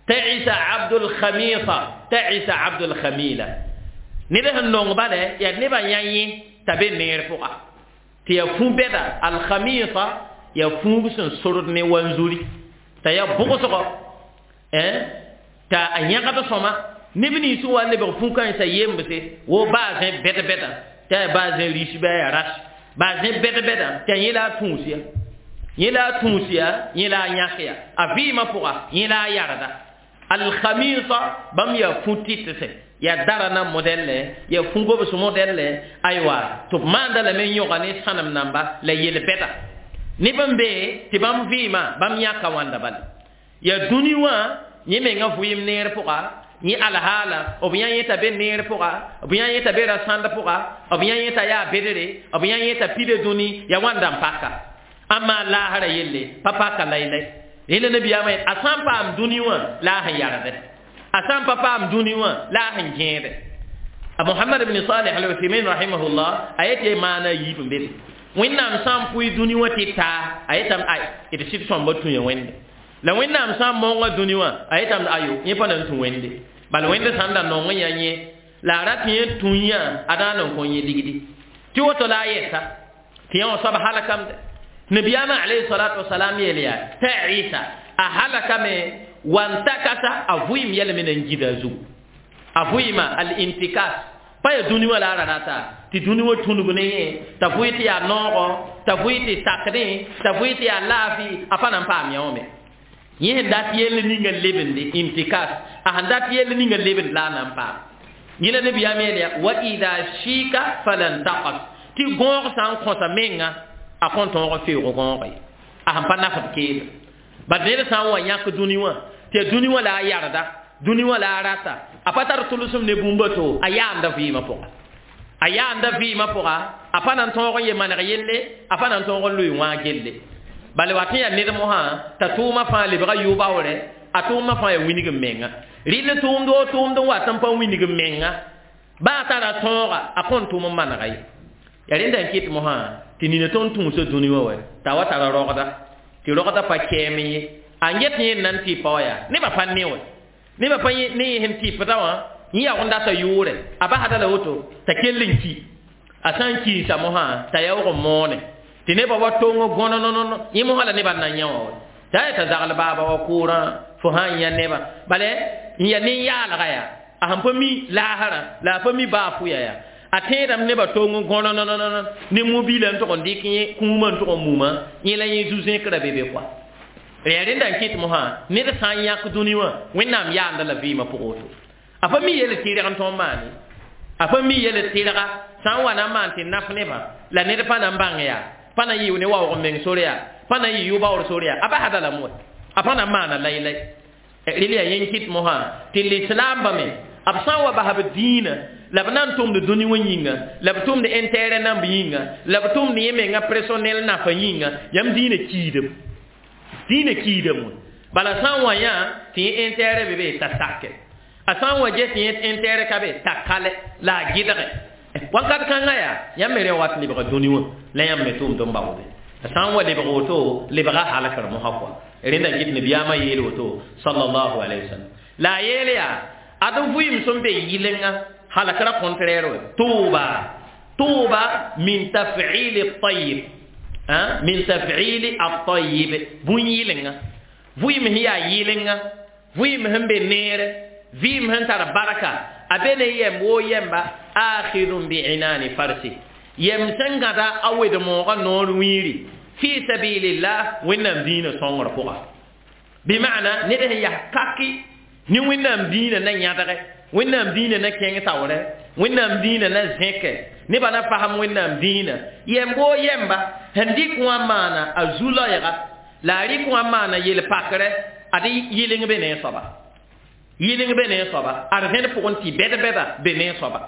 Ta'isa abdul khamisa, ta'isa abdul khamila, ned sẽn nong bala yaa nebã yã yẽ t'a be neer pʋga, Tɩ yaa fu-bɛda alkhamisa yaa fuug sẽn sord ne wanzuri t'a yaa bʋgsgɔ t'a a yãgd sõma neb nins wa lebg fu-kãensã yembse wo baazẽ bɛd-bɛda t'a yaa baazẽ ris bɩ a yaa ras baazẽ bɛd-bɛda t'a yẽ la a tũus ya yẽ la a tũus ya yẽ la a yãk ya a vɩɩmã pʋga yẽ la a yarda alkhamisa bãmb yaa fu-tɩtse yaa darana modɛlle yaa fu-gobs modɛlle aywa tɩ b maanda lame n yõga ne sãnem namba la yel-bɛda neb n be tɩ bãmb vɩɩmã bãmb yãka wãnda bale yaa dũni wã yẽ mengã vʋɩɩm neer pʋga yẽ alhaala b yã yẽ t'a be neer pʋga b yã yẽ t'a be rasãnd pʋga b yã yẽ t'a yaa bedre b yã yẽ t'a pida dũni yaa wãnda n paka amma laasra yelle pa paka laylay rẽnda nabiyaamã yet a sã n paam dũni wã la a sẽn yarde a sã n pa paam dũni wã la a sẽn gẽede a mohamad ibn salih al uthaymin rahimahullah a yet maana a yiib n be be wẽnnaam sã n pʋɩ dũni wã tɩ taa a yetame ay d sɩd sõmba tũ ya wẽnde la wẽnnaam sã n maoongã dũni wã a yetame ayo yẽ pa na n tũ wẽnde bala wẽnd sã n da nong n yaa yẽ la a rat yẽ tũ yã a daan n kõ yẽ ligdi tɩ woto la a yɛsa tɩ yã wã soab halkamde nabiyaamã alayhi salatu wasalam yeel yaa t'a isa a halakame wantakasa a vʋɩɩm yɛlme na n gida a zugu a vʋɩɩma al-intikas pa yaa dũni wã la a ra rata tɩ dũni wã tũnug ne yẽ t'a vʋɩ tɩ yaa noogɔ t'a vʋɩ tɩ sakdẽ t'a vʋɩ tɩ yaa laafɩ a pa na n paam yã wã me yẽ sẽn dat yell ninga lebende intikas a sẽn dat yell ninga lebend la a na n paam yẽ la nabiyaam yeel yaa wa ida shika falan taqas tɩ gõog sã n kõsa menga a kõn tõog n feoog gõogo ye a sẽn pa nafd keelem bad ned sã n wa yãk dũni wã tɩ yaa dũni wã la a yarda dũni wã la a rata a pa tar tʋlsem ne bũmba to a yaanda vɩɩmã pʋga a yaanda vɩɩmã pʋga a pa na n tõog n ye maneg yelle a pa na n tõog n loe wãag gelle bala wat n yaa ned mosã t'a tʋʋmã fãa lebga yʋ-baoorɛ a tʋʋmã fãa yaa wilg n menga rɩl tʋʋmd o tʋʋmd n wat n pa wilg n menga baa a tara tõoga a kõn tʋʋm n manega ye yaa rẽnda n kɩt mosã tɩ nina tõnd tũusa dũni wã wɛ t'a wa tara rogda tɩ rogda pa kɛɛm ye a n get yẽ n na n tɩpa wã yaa nebã pa ne wɛ nebã pa ne yẽ sẽn tɩpda wã yẽ yaoog n data yʋʋrɛ a basda la woto t'a kell n ki a sã n kiisa mosã t'a yaoog n moone tɩ nebã wa tong gõnonono yẽ mosã la nebã n na n yã wã wɛ t'a yaa t'a zagl baaba wa kʋʋrã fo sã n yã nebã bala n yaa nin-yaalga yaa a sẽn pa mi laasrã la a pa mi baa pʋya yaa a tẽedame nebã tong gõnonono ne mobiilã n tʋg n dɩk yẽ kũumã n tʋg n muma yẽ la yẽ zu-zẽkrã be be koa yaa rẽnda n kɩt mosã ned sã n yãk dũni wã wẽnnaam yaanda la vɩɩmã pʋgẽ woto a pa mi yel tɩrg n tõnd maane a pa mi yel tɩrga sã n wa na n maan tɩ naf nebã la ned pa na n bãng yaa pa na n yɩ ne waoog n meng sore yaa pa na n yɩ yʋ-baoor sore yaa a basda lame wɛ a pa na n maana laylay rel yaa yẽn kɩt mosã tɩ lislaambã me b sã n wa bas b dĩinã la b na n tʋmd dũni wã yĩnga la b tʋmd intérêt namb yĩnga la b tʋmd yẽ menga personnel nafa yĩnga yãmb dĩinã kiidame dĩinã kiidame wã bala sã n wa yã tɩ yẽ intérêt be be t'a sake a sã n wa ges tɩ yẽ intérêt ka be t'a kale la a gɩdge wakat kãngã yaa yãmb me rẽ wat lebga dũni wã la yãmb me tʋmd n baoode a sã n wa lebg woto lebga halkr mosã kɔa rẽnda n kɩt nabiyaamã yeel woto sallallahu alayhi wa sallam la a yeel yaa ad vʋɩɩm sẽn be yɩlenga halkra contraire wɛ tʋʋba tʋʋba min taf'il at-tayyib min taf'il at-tayyib bũn yɩlenga vʋɩɩm sẽn yaa yɩlenga vʋɩɩm sẽn be neere vɩɩm sẽn tar barka a be ne yɛmb woo yɛmba akhidun bi'inani farsi yɛm sẽn gãda a wed-moogã noor wiiri fi sabilillah wẽnnaam dĩinã sõngr pʋga bɩ-maana ned sẽn yaa kaki ne wẽnnaam dĩinã na yãdge wẽnnaam dĩinã na kẽng taoorɛ wẽnnaam dĩinã na zẽke nebã na fasem wẽnnaam dĩinã yɛmb woo yɛmba sẽn dɩk wã maana a zu-loɛɛga la a rɩk wã maana yel-pakrɛ ad yɩleng be ne a soaba yɩleng be ne a soaba ad rẽnd pʋgẽ tɩ bɛd-bɛda be ne a soaba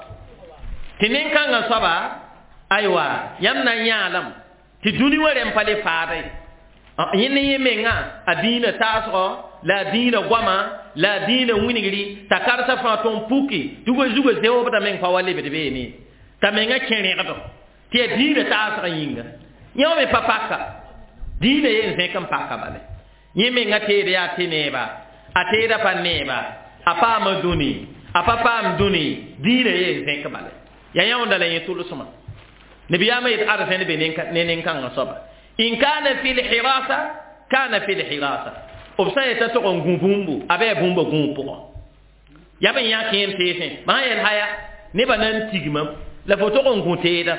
tɩ nin-kãngã soaba aywa yãmb na n yãalame tɩ dũni wã rẽm pa le faada ye yẽ ne yẽ menga a dĩinã taasgɔ la a dĩinã goama la a dĩinã wilgri t'a karsa fãa tõn puki tɩ goe zugã zeoobda meng pa wa lebd beene t'a menga kẽ rẽgdo tɩ yaa dĩinã taasgã yĩnga yẽ wã me pa paka dĩinã yen zẽk n paka bale yẽ menga teed yaa tɩ neeba a teeda pa neeba a paama dũni a pa paam dũni dĩinã yen zẽk bale yaa yãonda la yẽ tʋlsmã Nabiyaamã yet arzẽn be ne nin-kãngã soaba in kana fi lhirasa kana fi lhirasa b sã n yeta tog n gũ bũmbu a bɩ bũmba gũub pʋgã yaa b n yã kẽem teesẽ maa yel haya nebã na n tigmam la fo tog n gũ teeda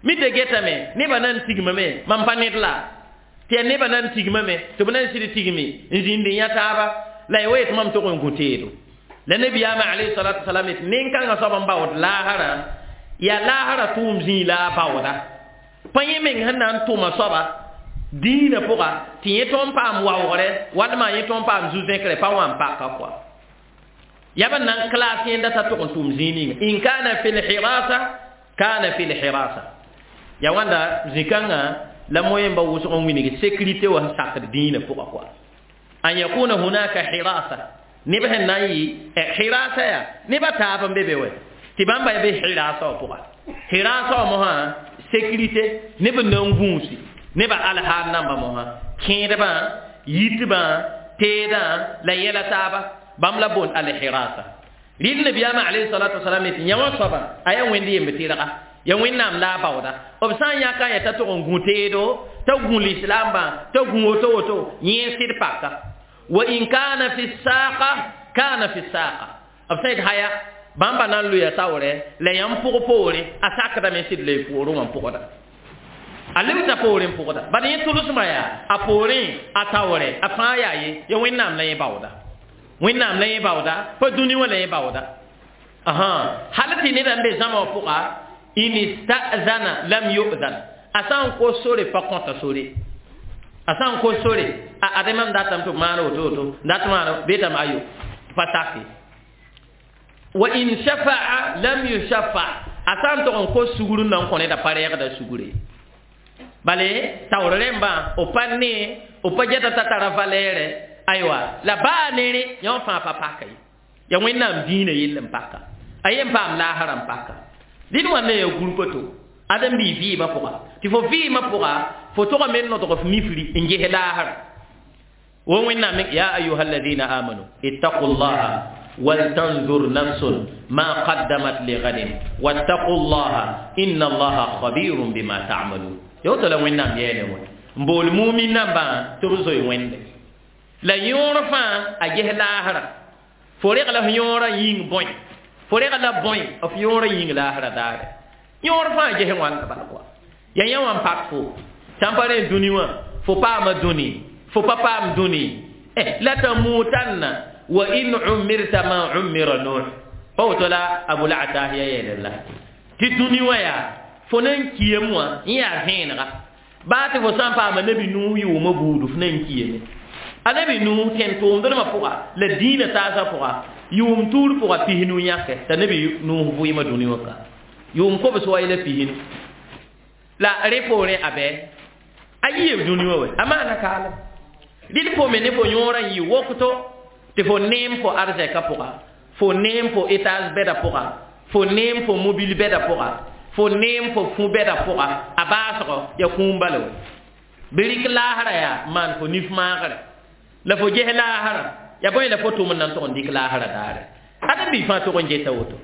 mi tɩ getame nebã na n tigmame mam pa ned la tɩ yaa nebã na n tigmame tɩ b na n sɩd tigme n zĩnd n yã taaba la ya wa yetɩ mam tog n gũ teedo la nabiyaamã alayhi salatu wasalam yetɩ nin-kãngã soab n baood laasrã yaa laasrã tʋʋm zĩig la a baooda pa yẽ meng sẽn na n tʋma soaba dĩinã pʋga tɩ yẽ tõnd paam waoogre walma yẽ tõnd paam zu-zẽkre pa wa n paka kɔa yaa b n na n klaas yẽnda t'a tog n tʋm zĩig ninga in kana fi lhirasa kana fi lhirasa ya wãnda zĩ-kãngã la moyẽmba wʋsg n wilg sécurité wa sẽn sakd dĩinã pʋga kɔa an yakuna hunaka hirasa neb sẽn na n yɩ hirasa yaa nebã taab n be be wɛ tɩ bãmba ya be hirasa wã pʋga hirasa wã mosã sécurité neb n na n gũusi nebã alhaal namba mosã kẽedbã yitbã teedã la yɛla taaba bãmb la boond alhirasa rɩl nabiyaamã alayhi salatu wasalam yetɩ yã wã soaba a yaa wẽnd yemb tɩrga ya wẽnnaam la a baooda b sã n yãka yã t'a tog n gũ teedo t'a gũ lislaambã t'a gũ woto woto yẽ sɩd paka wa in kana fi saqa kana fi saqa b sã yet haya bãmba na n loya taoorɛ la yãmb pʋg poore a sakdame sɩd la y poorẽ wã pʋgda a lebda poorẽ pʋgda bad yẽ tʋlsmã yaa a poorẽ a taoorɛ a fãa yaa ye ya wẽnnaam la yẽ baooda wẽnnaam la yẽ baooda pa dũni wã la yẽ baooda hal tɩ ned n be zãma wã pʋga in istazana lam yu'zan a sã n kos sore pa kõta sore a sã n kos sore a ad mam datame tɩ b maan woto woto dat maan betame ayo pa sake wa in shafa'a lam yushafa a sã n tog n kos sugr n na n kõ neda pa reegda sugre bale taoor rẽmbã b pa ne b pa geta t'a tara valɛɛrɛ aywa la baa nere yã wã fãa pa paka ye ya wẽnnaam dĩinã yell n paka a yen paam laasrã n paka dɩd wãnda ya gũrpa to ãdem bii vɩɩmã pʋga tɩ fo vɩɩmã pʋga fo togame n nodg f nifri n ges laasrã wo wẽnnaam ya ayuha alladina amanu ittaqu llaha ولتنظر نفس ما قدمت لغد واتقوا الله إن الله خبير بما تعملون يوتو لا وينام يele wã n bool mumin nambã tɩ b zoe wẽnde la yõor fãa a ges laasrã fo reg la f yõorã yĩng bõe fo reg la bõe f yõorã yĩng laasrã daare yõor fãa ges wãnda bala kɔa ya yã wã n pak fo sãn pa rẽ dũni wã fo paama dũni fo pa paam dũni eh la tamutanna wa in umirta ma umira nuh pa woto la abul atahiya yeele la tɩ dũni wã yaa fo na n kiyame wã n yaa vẽenega baa tɩ fo sã n paama nabi nuh yʋʋmã buudu f na n kiyame a nabi nuh tẽn tʋʋmdrmã pʋga la dĩinã taasã pʋga yʋʋm tuur pʋga pisnu yãke t'a nabi nuh vʋɩɩmã dũni wã ka yʋʋm kobs wa la pisnu la rẽ poorẽ a bɛ a yɩɩb dũni wã wɛ a maana kaalem rɩl fo me ne fo yõorã n yɩ wokto tɩ fo neem fo arzɛka pʋga fo neem fo étage bɛda pʋga fo neem fo mobile bɛda pʋga fo neem fo fũ bɛda pʋga a baasgɔ ya kũum bala wɛ bɩ rɩk laasrã yaa maan fo nif maagre la fo ges laasrã ya bõe la fo tʋm n na n tog n dɩk laasrã daare ãdem bii fãa tog n geta woto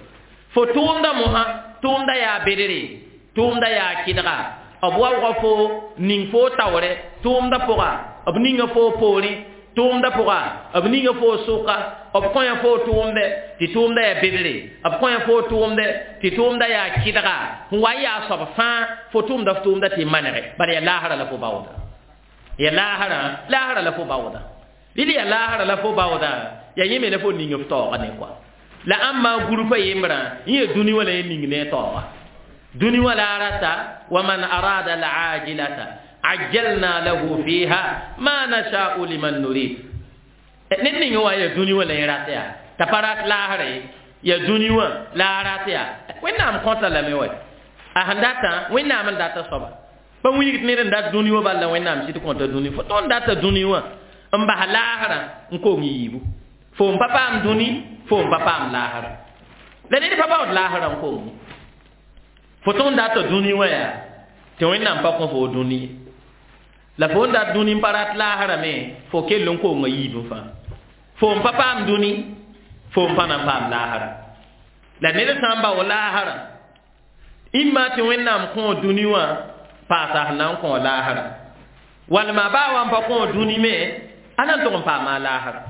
fo tʋʋmda mosã tʋʋmda yaa bedre tʋʋmda yaa kɩdga b waoogã fo ning fo taoorɛ tʋʋmda pʋga b ninga fo poorẽ tʋʋmda pʋga b ninga fo sʋka b kõya fo tʋʋmdɛ tɩ tʋʋmda yaa bedre b kõya fo tʋʋmdɛ tɩ tʋʋmda yaa kɩdga sẽn wa n yaa soab fãa fo tʋʋmda f tʋʋmda tɩ manege bala yaa laasrã la fo baooda ya laasrã laasrã la fo baooda rɩl yaa laasrã la fo baooda yaa yẽ me la fo ning f taooga ne kɔa la ãmba gũrpã yembrã yẽ yaa dũni wã la yẽ ning ne a taooga dũni wã la a rata wa man arada alajilata ajjalna lahu fiha ma nasha'u liman nurid ned ning wã yaa dũni wã la yẽ rat yaa t'a pa rat laasra ye yaa dũni wã la a rat yaa wẽnnaam kõta lame wa a sẽn datã wẽnnaam n data soaba pa wilgd ned n dat dũni wã bal la wẽnnaam sɩd kõta dũni fo tõnd data dũni wã n bas laasrã n kong yiibu fo n pa paam dũni fo n pa paam laasrã la ned pa baood laasrã n kong fo tõnd data dũni wã yaa tɩ wẽnnaam pa kõ fo dũni ye la fo n dat dũni n pa rat laasrã me fo kell n konga yiib fãa fo n pa paam dũni fo n pa na n paam laasrã la ned sã n bao laasrã Imma tɩ Wẽnnaam kõ dũni wã paasa sẽn na n kõ laasra walma baa wa n pa kõ dũni me a na n tʋg n paama a laasra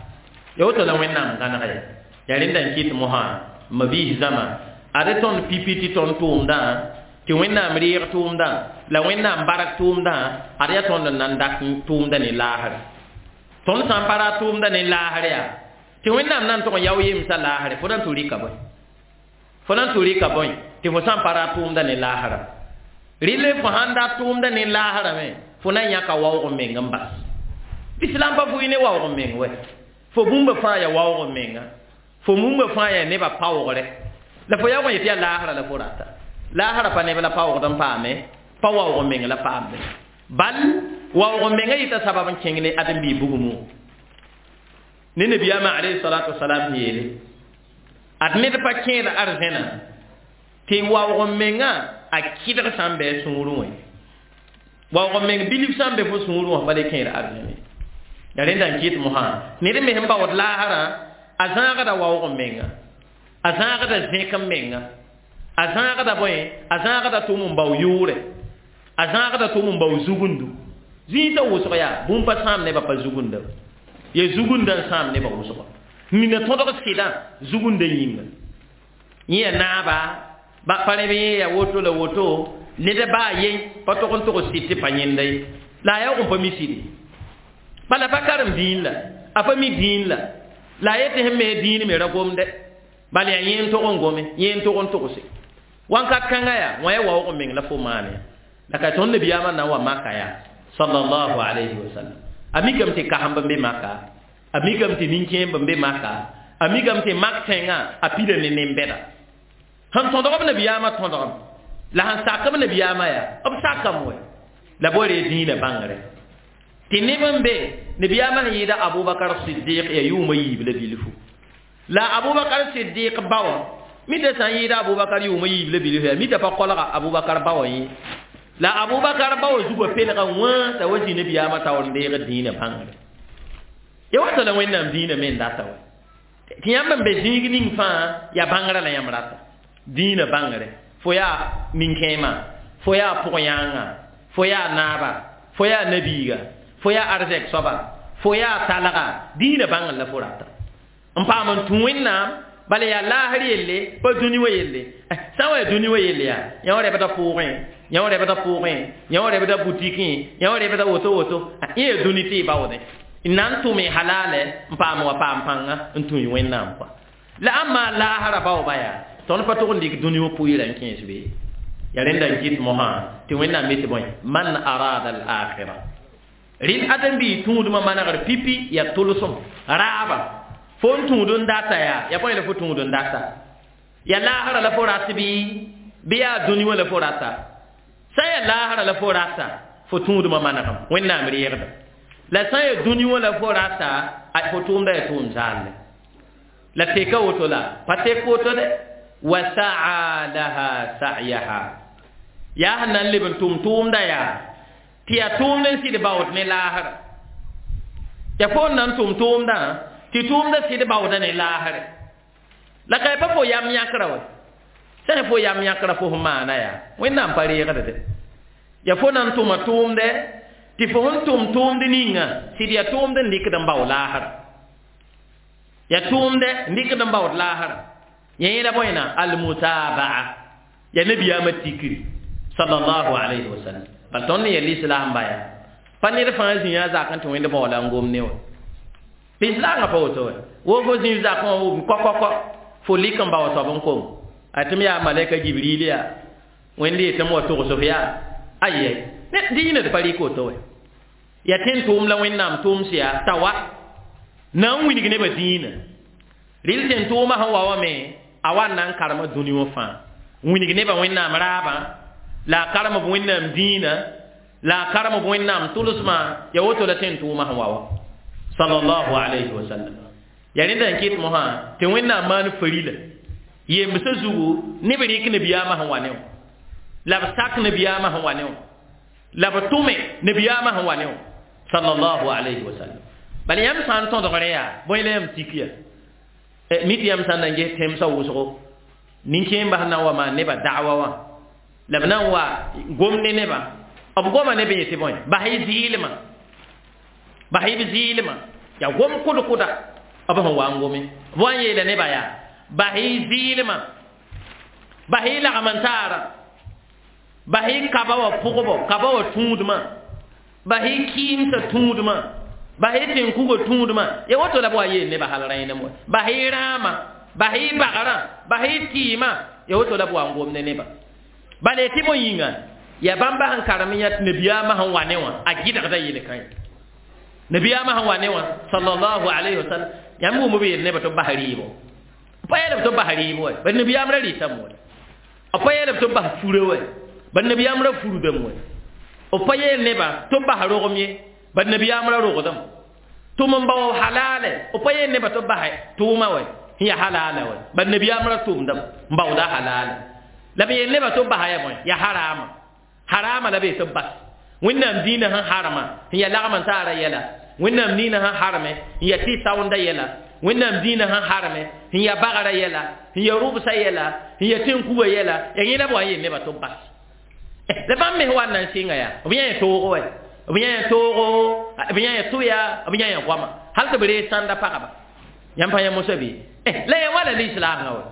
ya woto la Wẽnnaam gãnega ya ya rẽnda n kɩt mosã mabiis zãma ad tõnd pipi tɩ tõnd tʋʋmdã tɩ Wẽnnaam reeg tʋʋmdã la Wẽnnaam bark tʋʋmdã ad yaa tõnd n na n dak tʋʋmdã ne laasre tõnd sã n pa ra tʋʋmdã ne laasr yaa tɩ Wẽnnaam na n tʋg n yao yemsã laasre fo na n tʋ rɩka bõe fo na n tʋ rɩka bõe tɩ fo sã n pa ra tʋʋmdã ne laasra rɩle fo sãn dat tʋʋmdã ne laasra me fo na n yãka waoog n meng n bas islam pa fʋɩ ne waoog n meng wɛ fo bũmba fãa ya waoog n menga fo bũmba fãa ya nebã paoogre la fo yaoog n yetɩ yaa laasra la fo rata laasra pa neb la paoogd n paame pa waoog n meng la paambe bal waoog n mengã yɩta sabab n kẽng ne ãdem-biig bugmũ ne nabiyaamã alayhi salatu wasalam yeele ad ned pa kẽed arzẽna tɩ waoog n mengã a kɩdg sã n bɩ a sũurẽ wã waoog n meng bilf sã n be fo sũurẽ wã pa le kẽed arzẽne ya rẽnda n kɩt mosã ned me sẽn baood laasrã a zãagda waoog n menga a zãagda zẽk n menga a zãagda bõe a zãagda tʋm n bao yʋʋrɛ a zãagda tʋm n bao zugundu zĩisã wʋsg yaa bũmb pa sãam nebã pa zugunda ya zugunda n sãam nebã wʋsga nina tõdg sɩdã zugunda yĩnga yẽ ya naaba ba pa rẽb yẽ ya woto la woto ned baa ye pa tog n tog sɩd tɩ pa yẽnda ye la a yaoog n pa mi sɩde bala pa karem dĩin la a pa mi dĩin la la a yetɩ sẽn me dĩin me ra gomdɛ bala yaa yẽ n tog n gome yẽ n tog n togse wãnkat kãngã yaa wã ya waoog n meng la fo maan ya la ka tõnd nabiyaamã na n wa maka yaa sallallahu alayhi wa sallam a mikame tɩ kasemb n be maka a mikame tɩ nin-kẽemb n be maka a mikame tɩ mak tẽngã a pida ne nen-bɛda sẽn tõdg b nabiyaamã tõdgem la sẽn sak b nabiyaamã yaa b sakame wɛ la boore dĩinã bãngre tɩ neb n be nabiyaamã sẽn yɩɩda Abubakar Siddiq ya yʋʋmã yiib la bilfu la Abubakar Siddiq ba wã mita sã n yɩɩda Abubakar yʋʋmã yiib la bilfu yaa mita pa kolga Abubakar ba wã yẽ la Abubakar ba wã zugã pelga wã t'a wa zĩ nabiyaamã taoor n deeg dĩinã bãngre ya wata la Wẽnnaam dĩinã me n data wɛ tɩ yãmb n be zĩig ning fãa yaa bãngrã la yãmb rata dĩinã bãngre fo yaa nin-kẽemã fo yaa pʋg-yãangã fo yaa naaba fo yaa nabiiga fo yaa arzɛk soaba fo yaa talga dĩinã bãngr la fo rata n paam n tũ Wẽnnaam bala yaa laasr yelle pa dũni wã yelle sã n wa yaa dũni wã yelle yaa yã wã rɛbda pʋʋgẽ yã wã rɛbda pʋʋgẽ yã wã rɛbda butikẽ yã wã rɛbda woto woto yẽ yaa dũni tɩ y baoodẽ n na n tʋme halaalɛ n paam wa paam pãnga n tũ Wẽnnaam kɔa la ãmba laasrã baooba yaa tõnd pa tʋg n dɩk dũni wã pʋɩɩrã n kẽes be ya rẽnda n kɩt mosã tɩ Wẽnnaam yetɩ bõe man arada al akhira rɩl ãdem-biig tũudmã manegr pipi yaa tʋlsem raaba fo n tũud n data yaa ya bõe la fo tũud n data ya laasrã la fo rat bɩ bɩ yaa dũni wã la fo rata sã n yaa laasrã la fo rata fo tũudmã manegem Wẽnnaam reegda la sã n yaa dũni wã la fo rata fo tʋʋmda yaa tʋʋm zaalle la teka woto la pa tek woto dɛ wa saa laha sa'yaha yaa sẽn na n leb n tʋm tʋʋmda yaa tɩ yaa tʋʋmd n sɩd baood ne laasra ya fo n na n tʋm tʋʋmdã tɩ tʋʋmda sɩd baooda ne laasre la ka pa fo yam yãkra wɛ sã fo yam yãkra fo sẽn maana yaa Wẽnnaam pa reegd dɛ ya fo na n tʋma tʋʋmdɛ tɩ fo sẽn tʋm tʋʋmd ninga sɩd yaa tʋʋmd n dɩkd n bao laasra ya tʋʋmdɛ n dɩkd n baood laasra ya yẽla bõena almutabaa ya nabiyaamã tikri sallallahu alayhi wa sallam bal tõnd n yel islam baya pa ned fãa zĩ a zak n tɩ wẽnd baoola n gom ne wã lislaangã pa woto wɛ wo fo zĩ zakẽ wã kɔ-kɔ-kɔ fo lik n bao soab n kom a tɩ m yaa malɛka Jibril yaa Wẽnd yetɩ m wa togs f yaa ayɛ dĩinã d pa rɩk woto wɛ ya tẽn tʋʋm la Wẽnnaam tʋʋms yaa t'a wa na n wilg nebã dĩinã rɩl tẽn tʋʋmã sẽn wa wã me a wa n na n karema dũni wã fãa wilg nebã Wẽnnaam raabã la a karem b Wẽnnaam dĩinã la a karem b Wẽnnaam tʋlsmã ya woto la tẽn tʋʋmã sẽn wa wã sallallahu alayhi wa sallam ya rẽnda n kɩt mosã tɩ Wẽnnaam maan farila yembsã zugu neb rɩk nabiyaamã sẽn wa ne wã la b sak nabiyaamã sẽn wa ne wã la b tʋme nabiyaamã sẽn wa ne wã sallallahu alayhi wa sallam bala yãmb sã n tõdgre yaa bõe la yãmb tik ya mi tɩ yãmb sã n na n ges tẽmsã wʋsgo nin-kẽembã sẽn na n wa maan nebã da'wa wã La b na n wa gom ne nebã b goma ne b yetɩ bõe bas-y zɩɩlmã bas-y b zɩɩlmã yaa gom kʋd-kʋda b sẽn wa n gome b wa n yeela nebã yaa bas-y zɩɩlmã bas-y lagm n taara bas-y kaba wã pʋgbo kaba wã tũudmã bas-y kɩɩmsã tũudmã bas-y tẽn-kugã tũudmã ya woto la b wa yeel nebã hal rẽenem wa bas-y rãamã bas-y bagrã bas-y tɩɩmã ya woto la b wa n gom ne nebã bala tɩ bõe yĩnga yaa bãmba sẽn karem n yã tɩ nabiyaamã sẽn wa ne wã a gɩdgda yel-kãe nabiyaamã sẽn wa ne wã sallallahu alayhi wa sallam yãmb wʋm b yeel nebã tɩ b bas rɩɩbo b pa yeelb tɩ b bas rɩɩbo wɛ bad nabiyaam ra rɩtame wɛ b pa yeelb tɩ b bas furã wɛ bad nabiyaam ra furdame wɛ b pa yeel nebã tɩ b bas rogem ye bad nabiyaam ra rogdame tʋm n bao halaalɛ b pa yeel nebã tɩ b bas tʋʋma wɛ sẽn yaa halaala wɛ bad nabiyaam ra tʋmdame n baooda halaala la b yeel nebã tɩ b basa ya bõe yaa harama harama la be tɩ b bas wẽnnaam dĩinã sẽn harma sẽn yaa lagm n taara yɛla wẽnnaam dĩinã sẽn harme n yaa tɩ saoonda yɛla wẽnnaam dĩinã sẽn harme sẽn yaa bagrã yɛla sẽn yaa rʋbsã yɛla sẽn yaa tẽn-kugã yɛla yaa yẽ la b wa n yeel nebã tɩ b bas la bãmb mes wa n na n sɩnga yaa b yã toogo wɛ b yã toogo b yã tʋya b yã goama hal tɩ b reeg sãnda pagba yãmb pa yã mosã bɩ la ya wala lislaamã wɛ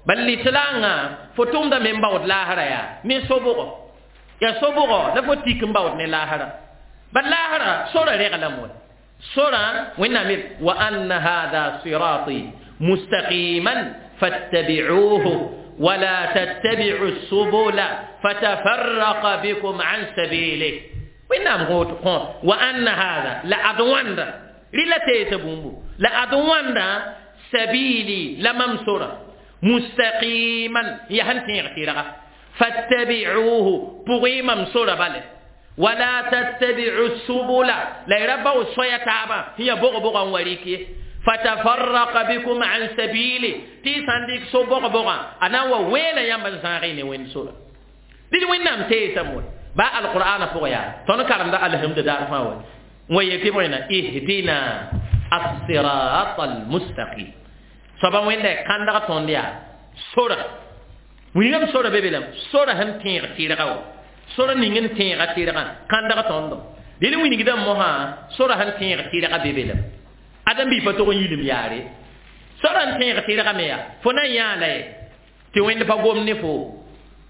bal lislaamã fo tʋmda me n baood laasra yaa ne sobgo yaa sobgo la fo tik n baood ne laasra bal laasra sora reglame wɛ sora wẽnnaam yel wa anna hada sirati mustaqiman fattabi'uhu ولا تتبعوا السبل فتفرق بكم عن سبيله وإنهم وأن هذا لأدوان رلا تيتبومبو لأدوان سبيلي لممسورة مستقيما يهنتي اغتيرغا فاتبعوه بغي ممسورة بله ولا تتبعوا السبل لا يربوا الصيا تابا هي بغ بغ وريكي فتفرق بكم عن سبيله تي سانديك سو بغ بغ انا ويلا يام زارين وين سورة دي وين نام تي سمول با القران فويا تون كارم دا الحمد دار فاوي ويتي وين اهدنا الصراط المستقيم soaba wẽnda kãndg tõnd yaa sora wilgame sora be be lame sora sẽn tẽeg tɩrga wa sora ning n tẽega tɩrgã kãndg tõndo dẽl wilgdã mosã sora sẽn tẽeg tɩrga be be lame adam bi pa tog n yilem yaare sora n tẽeg tɩrga me yaa fo na n yãa la ye tɩ wẽnd pa gom ne fo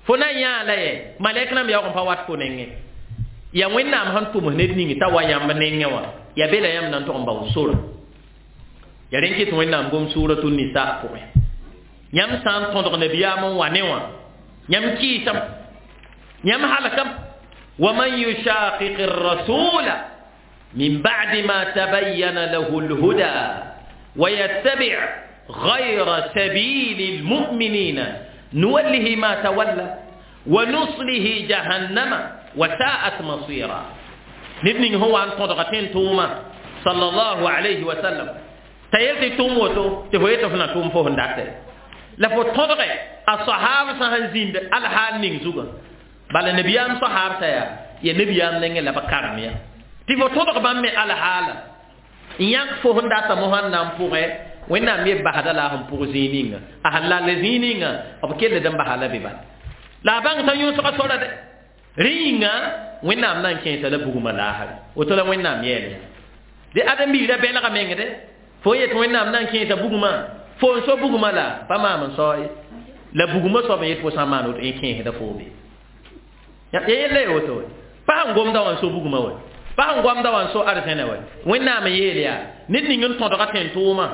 fo na n yãa la ye malɛk nãmb yaoog n pa wat fo nengẽ yaa wẽnnaam sẽn tʋms ned ning t'a wa yãmb nengẽ wã yaa be la yãmb na n tog n bao sora ya rẽn kɩt wẽnnaam gom suuratu nisa pʋgẽ yãmb sã n tõdg nabiyaam n wa ne wã yãmb kɩɩsame yãmb halkame waman yushaqiq الرسول من بعد ما تبين له الهدى ويتبع غير سبيل المؤمنين نوله ما تولى ونصله جهنم وساءت مصيرا نبني هو أن تضغطين توما صلى الله عليه وسلم t'a yel tɩ tʋm woto tɩ fo yetɩ fo na tʋʋm fo sẽn datɛ la fo tõdge a sahaabsã sẽn zĩnd alhaal ning zugã bala nabiyaam sahaabsã yaa ya nabiyaam nengẽ la b karem ya tɩ fo tõdg bãmb me alhaala n yãk fo sẽn data mosã n na n pʋgẽ wẽnnaam ye basda la a sẽn pʋg zĩig ninga a sẽn lall zĩig ninga b kelld n basa la be bala la a bãng t'a yõsga sora dɛ rẽ yĩnga wẽnnaam na n kẽesa la bugmã laasre woto la wẽnnaam yɛɛl ya de ãdem-biirã bẽlga meng de fo yet wẽnnaam na n kẽesa bugmã fo n so bugmã la pa maam n sao ye la bugmã soab n yet fo sã n maan woto yẽ kẽesda foo be ya yella ye woto we pa sẽn gomda wã n so bugmã wɛ pa sẽn gomda wã n so arzẽnã wɛ wẽnnaam n yeel yaa ned ning n tõdga tẽn-tʋʋmã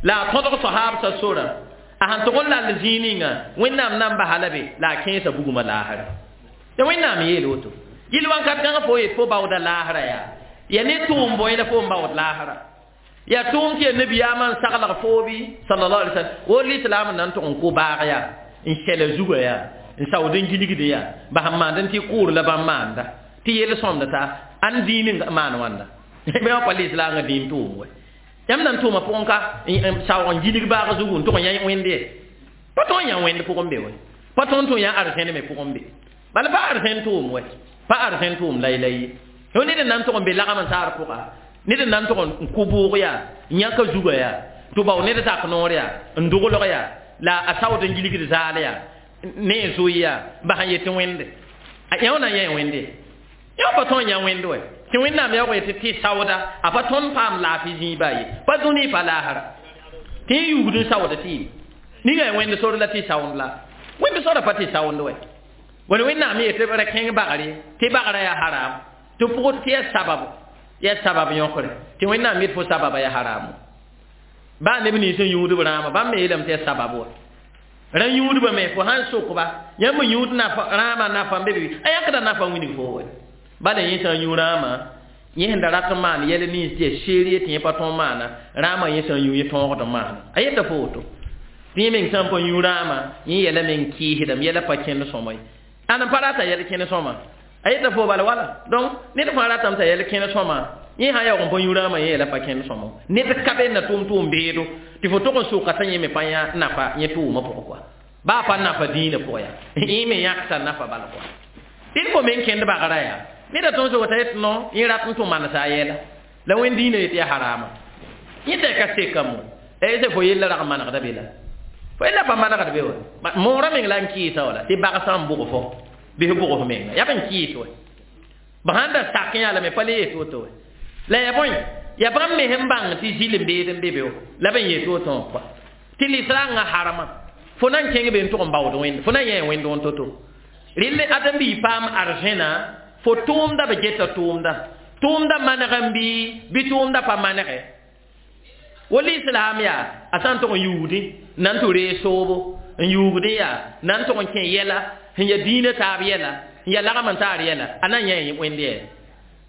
la a tõdg sahaabsã sora a sẽn tʋg n lall zĩig ninga wẽnnaam na n basa la be la a kẽesa bugmã laasra ya wẽnnaam n yeel woto yɩl wãnkat kãngã fo yet fo baooda laasra yaa ya ne tʋʋm bõe la fo n baood laasra ya tʋʋm tɩ ya nabiyaamã n saglg foobi sallallahu alaihi wasallam wo lislaam n na n tʋg n kʋ baag yaa n sɛla zugã yaa n saood n gilgd yaa ba sẽn maand n tɩ kʋʋr la bãmb maanda tɩ yel sõmda t'a ãn dĩin n maan wãnda bɩ wã pa lislaangã dĩin tʋʋm wɛ yãmb na n tʋʋma pʋgẽ ka saoog n gilg baag zugu n tʋg n yã wẽnd ye pa tõe n yã wẽnd pʋgẽ be wɛ pa tõe n tʋg yã arzẽn me pʋgẽ be bala pa arzẽn tʋʋm wɛ pa arzẽn tʋʋm laylay ye ned n na n tʋg n be lagm n taar pʋga ned n na n tʋg n kʋ bʋʋg yaa n yãka zugã yaa tɩ bao ned zak noor yaa n doglg yaa la a saood n gilgd zaal yaa ne zoya ba han yetɩ wẽnde a yã na yã wẽnde yã pa tõe n yã wẽnd wɛ tɩ wẽnnaam yaoog yetɩ tɩ saooda a pa tõnd paam laafɩ zĩiba ye pa dũni pa laasra tɩ y yugd n saood tɩ yɩ ninga ya wẽnd sor la tɩ saoond la wẽnd sora pa tɩ saoond wɛ wala wẽnnaam yetɩ ra kẽng bagre tɩ bagrã yaa haram tɩ pʋgd tɩ yaa sabab yaa sabab yõkre tɩ wẽnnaam yet fo sababa yaa haramo baa neb nins n yũudb rãama bãmb me yeelame tɩ yaa sabab wa ra yũudba me fo sãn sokba yãmb yũud rãamã nafa n be be a yãkda nafa wilg fo wɛ bala yẽ sã n yũ rãamã yẽ sẽn da rat n maan yɛl nins tɩ yaa seer tɩ yẽ pa tõog maana rãamã yẽ sã n yũ yẽ tõogd n maana a yeta fo woto tɩ yẽ meng sã n pa yũ rãamã yẽ yɛla meng kɩɩsdame yɛla pa kẽnd sõma ye ãn n pa rata yɛl kẽnd sõma a yeta fo bala wala donc ned fãa ratame t'a yɛl kẽnd sõma yẽ sã yaoog n pa yũ rãamã yẽ yɛla pa kẽnd sõma ned ka be na tʋʋm tʋʋm beedo tɩ fo tog n soka t'a yẽ me pa yã nafa yẽ tʋʋmã pʋgẽ kɔa baa pa nafa dĩinã pʋgẽ yaa yẽ me yãksa nafa bal kɔa tɩ d fo meng kẽnd bagrã yaa neda tõnd sog t'a yet no yẽ rat n tʋ manesa a yɛla la wẽnd dĩinã yetɩ yaa harama yẽ t'a ka sekame se fo yella rag n manegda be la fo yella pa manegd be wa moorã meng la n kɩɩsa wala tɩ bagsã n bʋg fo bɩ f bʋg f menga yaa b n kɩɩs wɛ b sãn da sak yã lame pa le yet woto wɛ la yaa bõe yaa bãmb me sẽn bãng tɩ zɩl n beed n be be la b n yet woto wã kɔa tɩ lisrãngã harama fo na n kẽng be n tʋg n baood wẽnd fo na n yã wẽnd wẽn to-to rel ãdem-biig paam arzẽna fo tʋʋmda b geta tʋʋmda tʋʋmda maneg n bɩ bɩ tʋʋmda pa manege wala islam yaa a sã n tʋg n yuugdẽ na n tɩ reeg soobo n yuugdẽ yaa na n tʋg n kẽ yɛla sẽn ya dĩinã taab yɛla n ya lagm n taar yɛla a na n yã wẽnd yɛ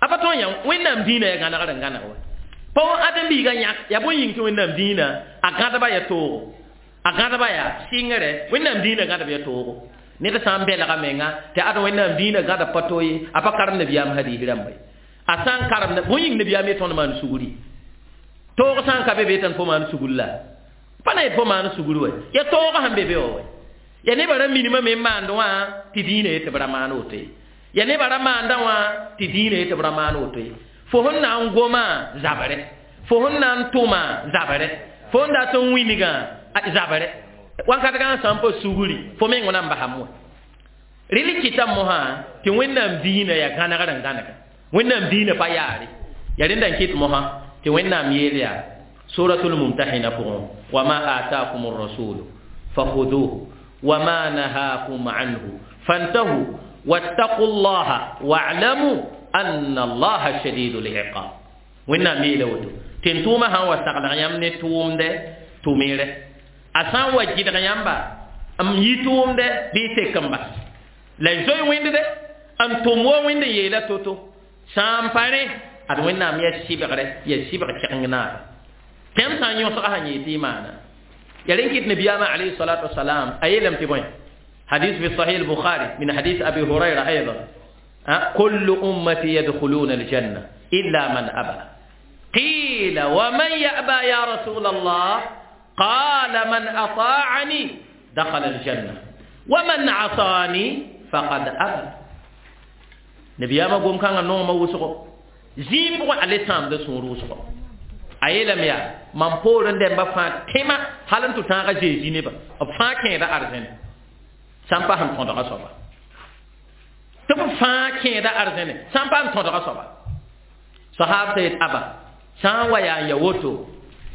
a pa tõe n yã wẽnnaam dĩinã yaa gãnegr n gãneg wa pa ãdem-biigã yãk yaa bõe yĩng tɩ wẽnnaam dĩinã a gãdba yaa toogo a gãdba yaa sɩngre wẽnnaam dĩinã gãdb yaa toogo ned sã n belga menga tɩ ad wẽnnaam dĩinã gãda pa to ye a pa karem nabiyaam hadiis rãmba ye a sã n karem bõe yĩng nabiyaam ye tõnd maan sugri toog sã n ka be be tɩ fo maan sugr la pa na yet fo maan sugr wɛ ya toog sẽn be be wa wɛ ya nebã ra minimã me n maand wã tɩ dĩinã ye tɩ b ra maan woto ye ya nebã ra maandã wã tɩ dĩinã ye tɩ b ra maan woto ye fo sẽn na n goma zabre fo sẽn na n tʋma zabre fo sẽn dat n wilgã zabre wankatgã sã n pa sugri fo meng na n basam wã rel kɩta mosã tɩ wẽnnaam dĩinã yaa gãnegr n gãnega wẽnnaam dĩinã pa yaare yaa rẽnda n kɩt mosã tɩ wẽnnaam yeel yaa suratul mumtahina pʋgẽ wama ataakum rasulu fakhuduhu wama nahakum anhu fantahu wattaqu llaha wa'lamu anna allaha shadidul iqab wẽnnaam yeela woto tɩ n tʋʋmã sã n wa saglg yãmb ne tʋʋmdɛ tʋmere a sã n wa gɩdg yãmba n yi tʋʋmdɛ bɩ y sek n bas la y zoe wẽnd dɛ n tʋm wa wẽnd n yeela to-to sã n pa rẽ ad wẽnnaam yaa sɩbgre yaa sɩbg kẽgeng naara tẽm sã n yõsga sã n yee tɩ y maana ya rẽn kɩt nabiyaamã alayhi salatu wasalam a yeelame tɩ bõe حديث في صحيح البخاري من حديث أبي هريرة أيضا كل أمتي يدخلون الجنة إلا من أبى قيل ومن يأبى يا رسول الله قال من أطاعني دخل الجنة ومن عصاني فقد أبى نبي أما قوم كان نوم وسقو زيم بقى على سام ده سون روسقو أيلم يا من بورن دم بفا تما هل أنتو تاعا جيزي نبا أفا كين ده أرزن سام فهم تندرا صبا تبفا كين ده أرزن سام فهم تندرا صبا صحابة أبا سام ويا يوتو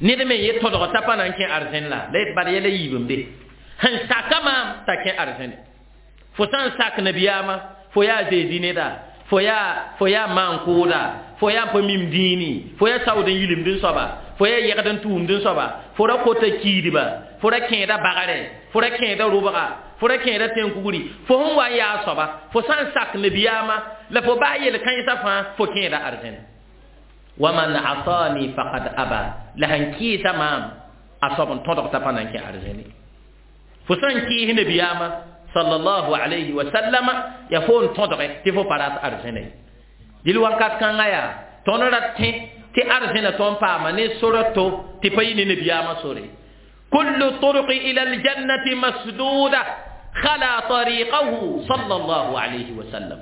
ned me ye todg t'a pa na n kẽ arzẽn la la yet bad yɛla yiib n be sẽn saka maam t'a kẽ arzẽne fo sã n sak nabiyaamã fo yaa Zeezi neda fo yaa fo yaa maan-kʋʋda fo yaa n pa mim dĩini fo yaa saood n yilimd n soaba fo yaa yɛgd n tʋʋmd n soaba fo ra kota kiidba fo ra kẽeda bagre fo ra kẽeda rʋbga fo ra kẽeda tẽn-kugri fo sẽn wa n yaa soaba fo sã n sak nabiyaamã la fo baa yel-kãensã fãa fo kẽeda arzẽne waman asani faqad aba la sẽn kɩɩsa maam a soab n tõdg t'a pa na n kẽ arzẽne fo sã n kɩɩs nabiyaamã sallallahu alayhi wa sallama ya fo n tõdge tɩ fo pa rat arzẽne dɩl wakat kãngã yaa tõnd ra tẽ tɩ arzẽna tõnd paama ne sora to tɩ pa yɩ ne nabiyaamã sore kullu turqi ila aljannati masduda khala tariqahu sallallahu alayhi wa sallam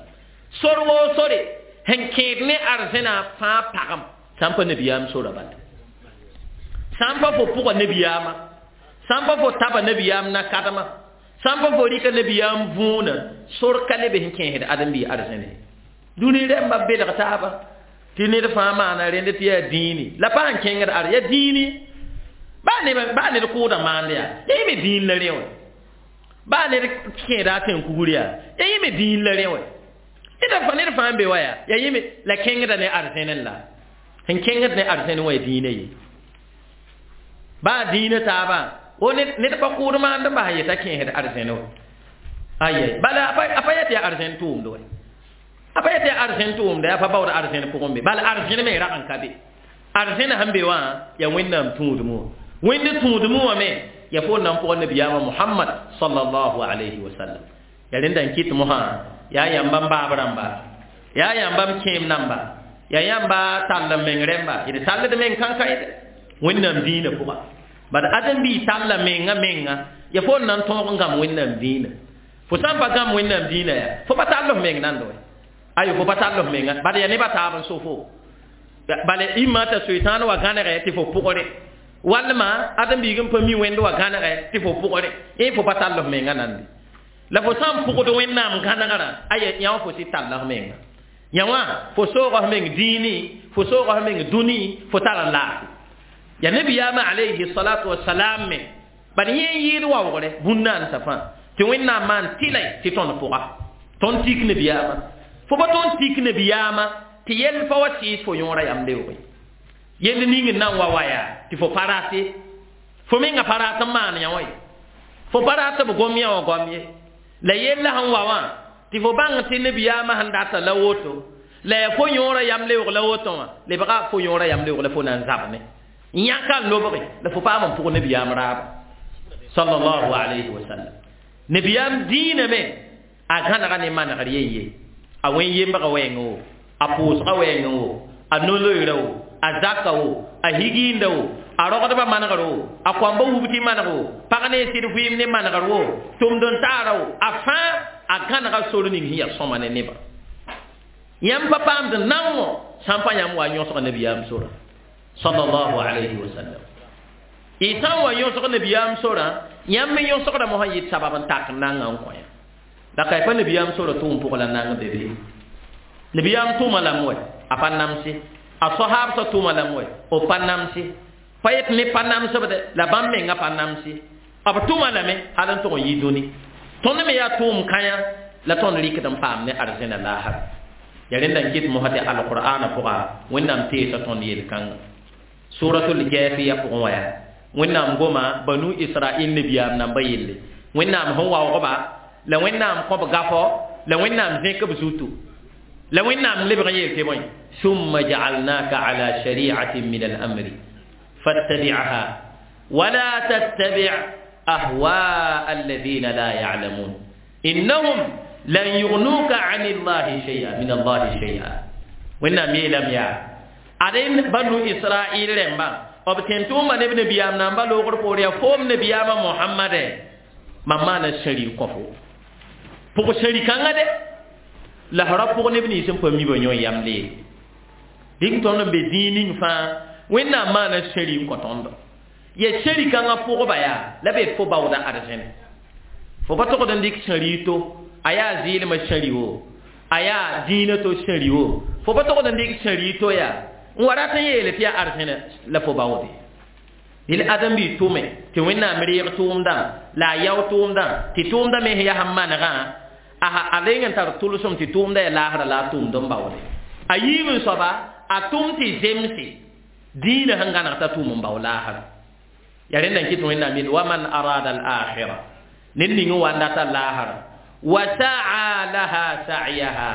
sor woo sore sẽn kẽed ne arzẽna fãa pagem sã n pa nabiyaam sora bala sã n pa fo pʋga nabiyaamã sã n pa fo taba nabiyaam na-kadmã Sãn pa fo rɩka nabiyaam võona sor ka leb sẽn kẽesd ãdem-biig arzẽne dũni rẽmba belg taaba tɩ ned fãa maana rẽnd tɩ yaa dĩini la pa sẽn kẽngd ar yaa dĩini baa neb baa ned kʋʋda maand yaa ya yẽ me dĩin la rẽ wã baa ned kẽeda a tẽn-kugr yaa ya yẽ me dĩin la rẽ wã ned fa ned fãa n be wa yaa ya yẽ me la kẽngda ne arzẽne la sẽn kẽngd ne arzẽne wã ya dĩinã ye baa dĩinã taabã o ned pa kʋʋd maand n bas n yeta kẽesd arzẽne wa ayɛ bala a pa yet yaa arzẽn tʋʋmd wa a pa yet yaa arzẽn tʋʋmda a pa baood arzẽn pʋgẽ be bala arzẽn me rag n ka be arzẽn sẽn be wã yaa wẽnnaam tũudmẽ wã wẽnd tũudmẽ wã me ya fo nan pʋgã nabiyaamã Muhammad sallallahu alayhi wa sallam ya rẽnda n kɩt mosã yaa yãmba n baab rãmba yaa yãmba m kẽem namba yaa yãmba tall n meng rẽmba d talld meng kãnkã yde wẽnnaam dĩinã pʋga bad ãdem-biig talla menga menga ya fo n na n tõog n gãm wẽnnaam dĩinã fo sã n pa gãm wẽnnaam dĩinã yaa fo pa tall f meng nando wɛ ayo fo pa tall f menga bala yaa nebã taab n so fo bala imã t'a soetãan wa gãnegɛ tɩ fo pʋgre walma ãdem-biig n pa mi wẽnd wa gãnegɛ tɩ fo pʋgre ẽ fo pa tall f menga nande la fo sã n pʋgd wẽnnaam gãnegrã aya yã wã fo sɩ talla f menga yã wã fo sooga f meng dĩini fo sooga f meng dũni fo tar n laafɩ ya nabiyaamã alayhi salatu wasalam me bad yẽ n yɩɩd waoogre bũn-naansã fãa tɩ wẽnnaam maan tɩlay tɩ tõnd pʋga tõnd tik nabiyaamã fo pa tõnd tik nabiyaamã tɩ yell pa wa sɩɩs fo yõora yam leoogẽ yell ning n na n wa wa yaa tɩ fo pa rat ye fo menga pa rat n maan yã wã ye fo pa rat b gom yã wã goam ye la yella sẽn wa wã tɩ fo bãng tɩ nabiyaamã sẽn data la woto la yaa fo yõora yam leoog la woto wã lebga fo yõora yam leoog la fo na n zabme yãka n lobge la fo paam n pʋg nabiyaam raaba sallallahu alayhi wa sallam nabiyaam dĩinã me a gãnega ne manegr yen ye a wẽn yembga wɛɛngẽ wo a pʋʋsga wɛɛngẽ wo a no-loeera wo a zaka wo a higiinda wo a rogdbã manegr wo a koamba wub tɩ maneg wo pag ne sɩd vɩɩm ne manegr wo tʋmd n taara wo a fãa a gãnega sor ning sẽn yaa sõma ne nebã yãmb pa paamd naongõ sã n pa yãmb wa yõsg nabiyaam sora sallallahu alayhi wa sallam y sã n wa yõsg nabiyaam sorã yãmb me yõsgda mosã yɩ sabab n tak nanga n kõ yã la ka pa nabiyaam sora tʋʋm pʋg la nang be be nabiyaam tʋʋma lame wɛ a pa namse a soahaabsã tʋʋma lame wɛ b pa namse pa yet ne pa namsbde la bãmb menga pa namse b tʋma lame hal n tʋg n yɩ dũni tõnd me yaa tʋʋm kãyã la tõnd rɩkd n paam ne arzẽna laasra ya rẽnda n kɩt mosã tɩ alqur'ana pʋga wẽnnaam teesa tõnd yel-kãnga suratul jafiya pʋgẽ wã yaa wẽnnaam goma banu israil nabiyaam namba yelle wẽnnaam sẽn waoogba la wẽnnaam kõb gafɔ la wẽnnaam zẽk b zutu la wẽnnaam lebg n yeel tɩ bõe summa jaalnaka ala shari'atin min al-amri fattabi'ha wala tattabi' ahwaa alladhina la ya'lamun innahum lan yughnuka 'ani Allahi shay'a min Allahi shay'a wẽnnaam yeelame yaa ad banu israil rẽmbã b tẽn tʋʋma neb nabiyaam namba loogr poor yaa foom nabiyaamã mohamade mam maana sẽri n kõ fo pʋg sẽri kãngã de la f ra pʋg neb nins n pa mi ba yõ yam leele dɩk tõnd n be zĩig ning fãa wẽnnaam maana sẽri n kõ tõndo ya sẽri kãngã pʋgba yaa la be fo baooda arzẽne fo pa togd n dɩk sẽri to a yaa zɩɩlmã sẽri wo a yaa dĩinã to sẽri wo fo pa togd n dɩk sẽri to yaa n wa rat n yeele tɩ yaa arzẽne la fo baoode dɩl ãdem-biig tʋme tɩ wẽnnaam reeg tʋʋmdã la a yao tʋʋmdã tɩ tʋʋmdã me sẽn yaa sẽn manegã a reng n tar tʋlsem tɩ tʋʋmdã yaa laasra la a tʋʋmd n baoode a yiib n soaba a tʋm tɩ zemse dĩinã sẽn gãneg t'a tʋʋm n bao laasra ya rẽnda n kɩt wẽnnaam yel wa man arada al-akhira ned ning n wa n data laasra wa sa'a laha sa'yaha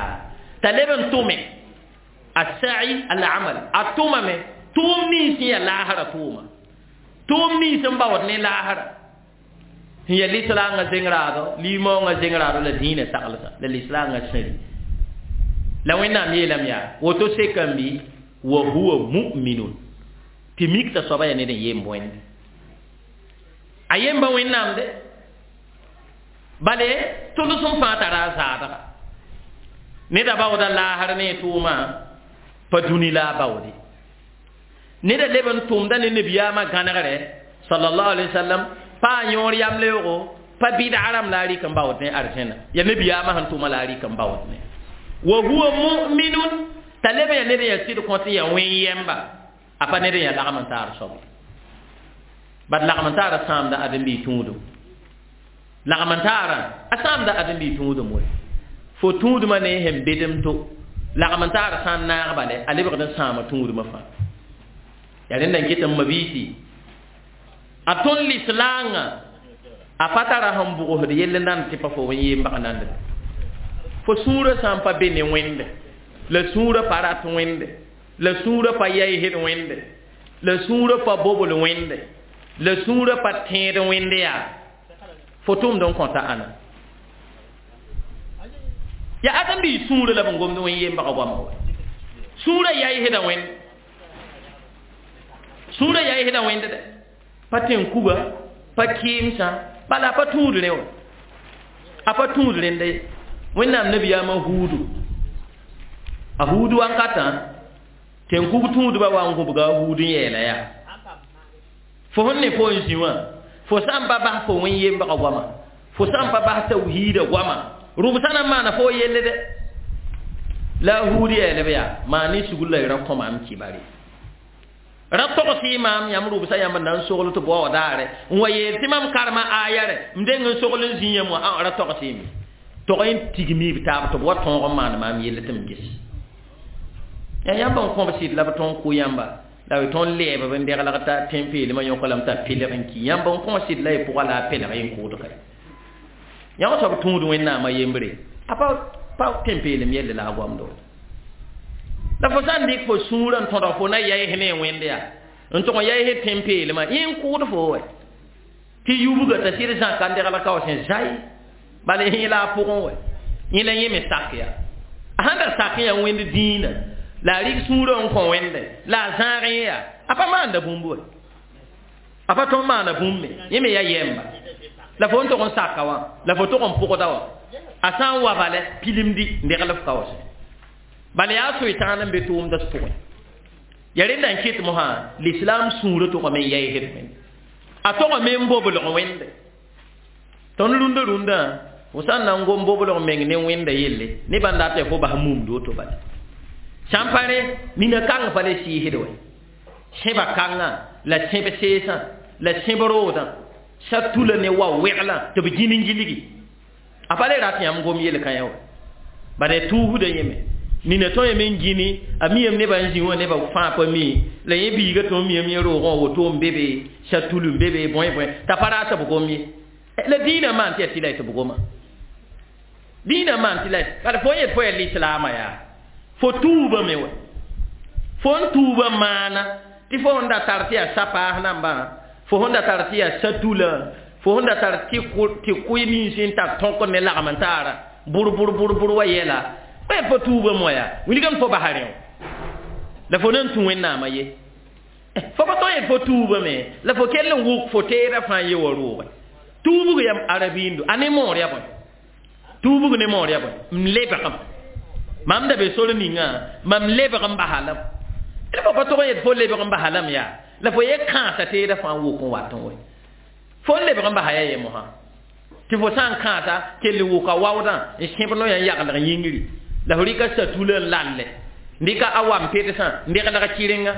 t'a leb n tʋme السعي العمل التومة مي توم نيس هي لاهرة تومة توم نيس مباوت ني لاهرة هي الإسلام زنگرادو ليمون زنگرادو لدين تقلسا للإسلام سري لو إن أمي لم يا وتسكمبي وهو مؤمن تميك تصبا يعني يم بوين أيم بوين نام ده بله تلسم فاترا زادا neda baooda laasr ne tʋʋmã pa dũni la a baoode neda leb n tʋmda ne nabiyaamã gãnegre sallallahu alaihi wasallam pa a yõor yamleoogo Pa bid'a rãmb la a rɩk n baood ne arzẽna ya nabiyaamã sẽn tʋma la a rɩk n baood ne wa huwa mu'minun t'a leb n yaa ned n yaa sɩd kõ tɩ yaa wẽn-yɛmba a pa ned n yaa lagm n taar soaba bad lagm n taara sãamda ãdem-biig tũudum lagm n taarã a sãamda ãdem-biig tũudum we fo tũudmã ne sẽn bedem to lagm n taara sã n naag bale a lebgd n sãama tũudmã fãa yaa rẽnda n ket n mabiisi a tõnd lislaangã a pa tara sẽn bʋgsd yell nan tɩ pa fo wẽn-yembg nand fo sũurã sã n pa be ne wẽnde la sũurã pa rat wẽnde la sũurã pa yaɩsd wẽnde la sũurã pa bobl wẽnde la sũurã pa tẽed wẽnde yaa fo tʋmd n kõta ãna yaa ãdem-biis sũurã la b n gomd wẽn-yembga goama wa sũurã yaɩsda wẽnd sũurã yaɩsda wẽnd dɛ pa tẽn-kuga pa kɩɩmsã bala a pa tũud rẽ wa a pa tũud rẽnda ye wẽnnaam nabiyaamã huudu a huudu wankatã tẽn-kug tũudbã wa n gũbga a huud n yeela yaa fo sẽn ne fo n zĩ wã fo sã n pa bas fo wẽn-yembga goama fo sã n pa bas tawhiida goama rʋbsã na n maana fo yelle dɛ la a huud yeelb yaa maa ne sugr la y ra kõ maam kibare ra togs-y maam yãmb rʋbsã yãmb n na n sogl tɩ bao daare n wa yeel tɩ mam karema aya rɛ m deng n sogl n zĩ yãmb wã ã ra togs-y me tog n tigmi b taab tɩ b wa tõog n maan maam yell tɩ m ges yaa yãmb n kõb sɩd la b tõnd kʋ yãmba la b tõnd lɛɛb b n deglg t'a tẽn-peelmã yõk lame t'a pelg n ki yãmb n kõ sɩd la y pʋga la a pelg n kʋʋd ka yãmb soab tũud wẽnnaamã yembre a pa pa tẽn-peelem yelle la a goamdo la fo sã n dɩk fo sũurã n tõdg fo na yaɩs ne wẽnd yaa n tʋg n yaɩs tẽn-peelmã yẽ n kʋʋd fo wɛ tɩ yubga t'a sɩd zãka n degl ka wa sẽn zai bala yẽ la a pʋgẽ wɛ yẽ la yẽ me sak yaa a sãn da sak yaa wẽnd dĩinã la a rɩk sũurã n kõ wẽnde la a zãag yẽ yaa a pa maanda bũmb wɛ a pa tõnd maana bũmb me yẽ me yaa yɛmba la fo n tʋg n saka wã la fo tʋg n pʋgda wã a sã n wa bala pilimdi n degl f ka wa sẽ bala yaa soy-tãan n be tʋʋmda pʋgẽ ya rẽnda n ket mosã l'islam sũurã tʋgame n yaɩsd wẽnde a togame n boblg wẽnde tõnd rũndã rũndã fo sã n na n gom boblg meng ne wẽnda yelle ne bãn dat tɩ fo bas mumd woto bala sã n pa rẽ nina kãng pa le sɩɩsd wɛ sẽba kãngã la sẽb seesã la sẽb roodã sa tula ne wa wɛglã tɩ b gĩn n gilgi a pa le rat yãmb gom yel-kã wa bala tuusda yẽme nina tõe yame n gĩni a miyame nebã n zĩ wã nebã fãa pa mi la yẽ biiga tõe n miyame yẽ roogã woto n be be sa tul n be be bõe bõe t'a pa rat b gom ye la dĩinã maan tɩ yaa tɩ la y tɩ b goma dĩinã maan tɩ la bala fo n yet fo yaa lislaamã yaa fo tuubame wa fo n tuuba maana tɩ fo sẽn da tar tɩ yaa sa-paas nambã fo sẽn da tar tɩ yaa sa-tulã fo sẽn da tar tɩ kʋɩ nins n tar tõk ne lagm n taara bʋr bʋr bʋr bʋr wa yɛla fo yet fo tuubame wa yaa wilgame fo basa rẽ la fo nan tũ wẽnnaamã ye fo pa tõe yet fo tuubame la fo kell n wʋk fo teedã fãa ye wa roogẽ tuubg yam arabiindo a ne moor yaa bõe tuubg ne moor yaa bõe m lebgem mam da be sor ninga mam lebg n basa lame la fo pa tog n yet fo lebg n basa lame yaa la fo ye kãasa teedã fãa n wʋk n wat n we fo n lebg n basa yaa ye mosã tɩ fo sã n kãasa kell wʋka waoodã n sẽb noyã n yaglg yĩngri la fo rɩka satulã n lalle n dɩka a wam pedsã n deglg kɩrenga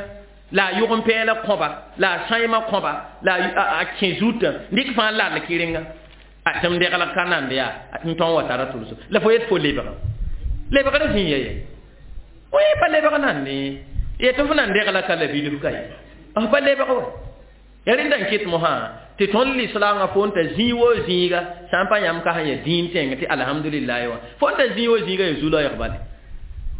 la a yʋg n pɛɛla kõba la a sãima kõba la a kẽ zutã n dɩk fãa lall kɩrenga a tɩ m deglg ka nand yaa n tõn wa tara tʋlso la fo yet fo lebg lebgr zĩ ya ye oe pa lebg nande ye tɩ fo nan degla ka la bilf ka ye f pa lebg wa ya rẽnda n ket mosã tɩ tõnd lislaangã fo n ta zĩig wo zĩiga sã n pa yãmb ka sẽn ya dĩin tẽng tɩ alhamdulillahi wã fo n ta zĩig wo zĩiga ya zu-laoɛg bale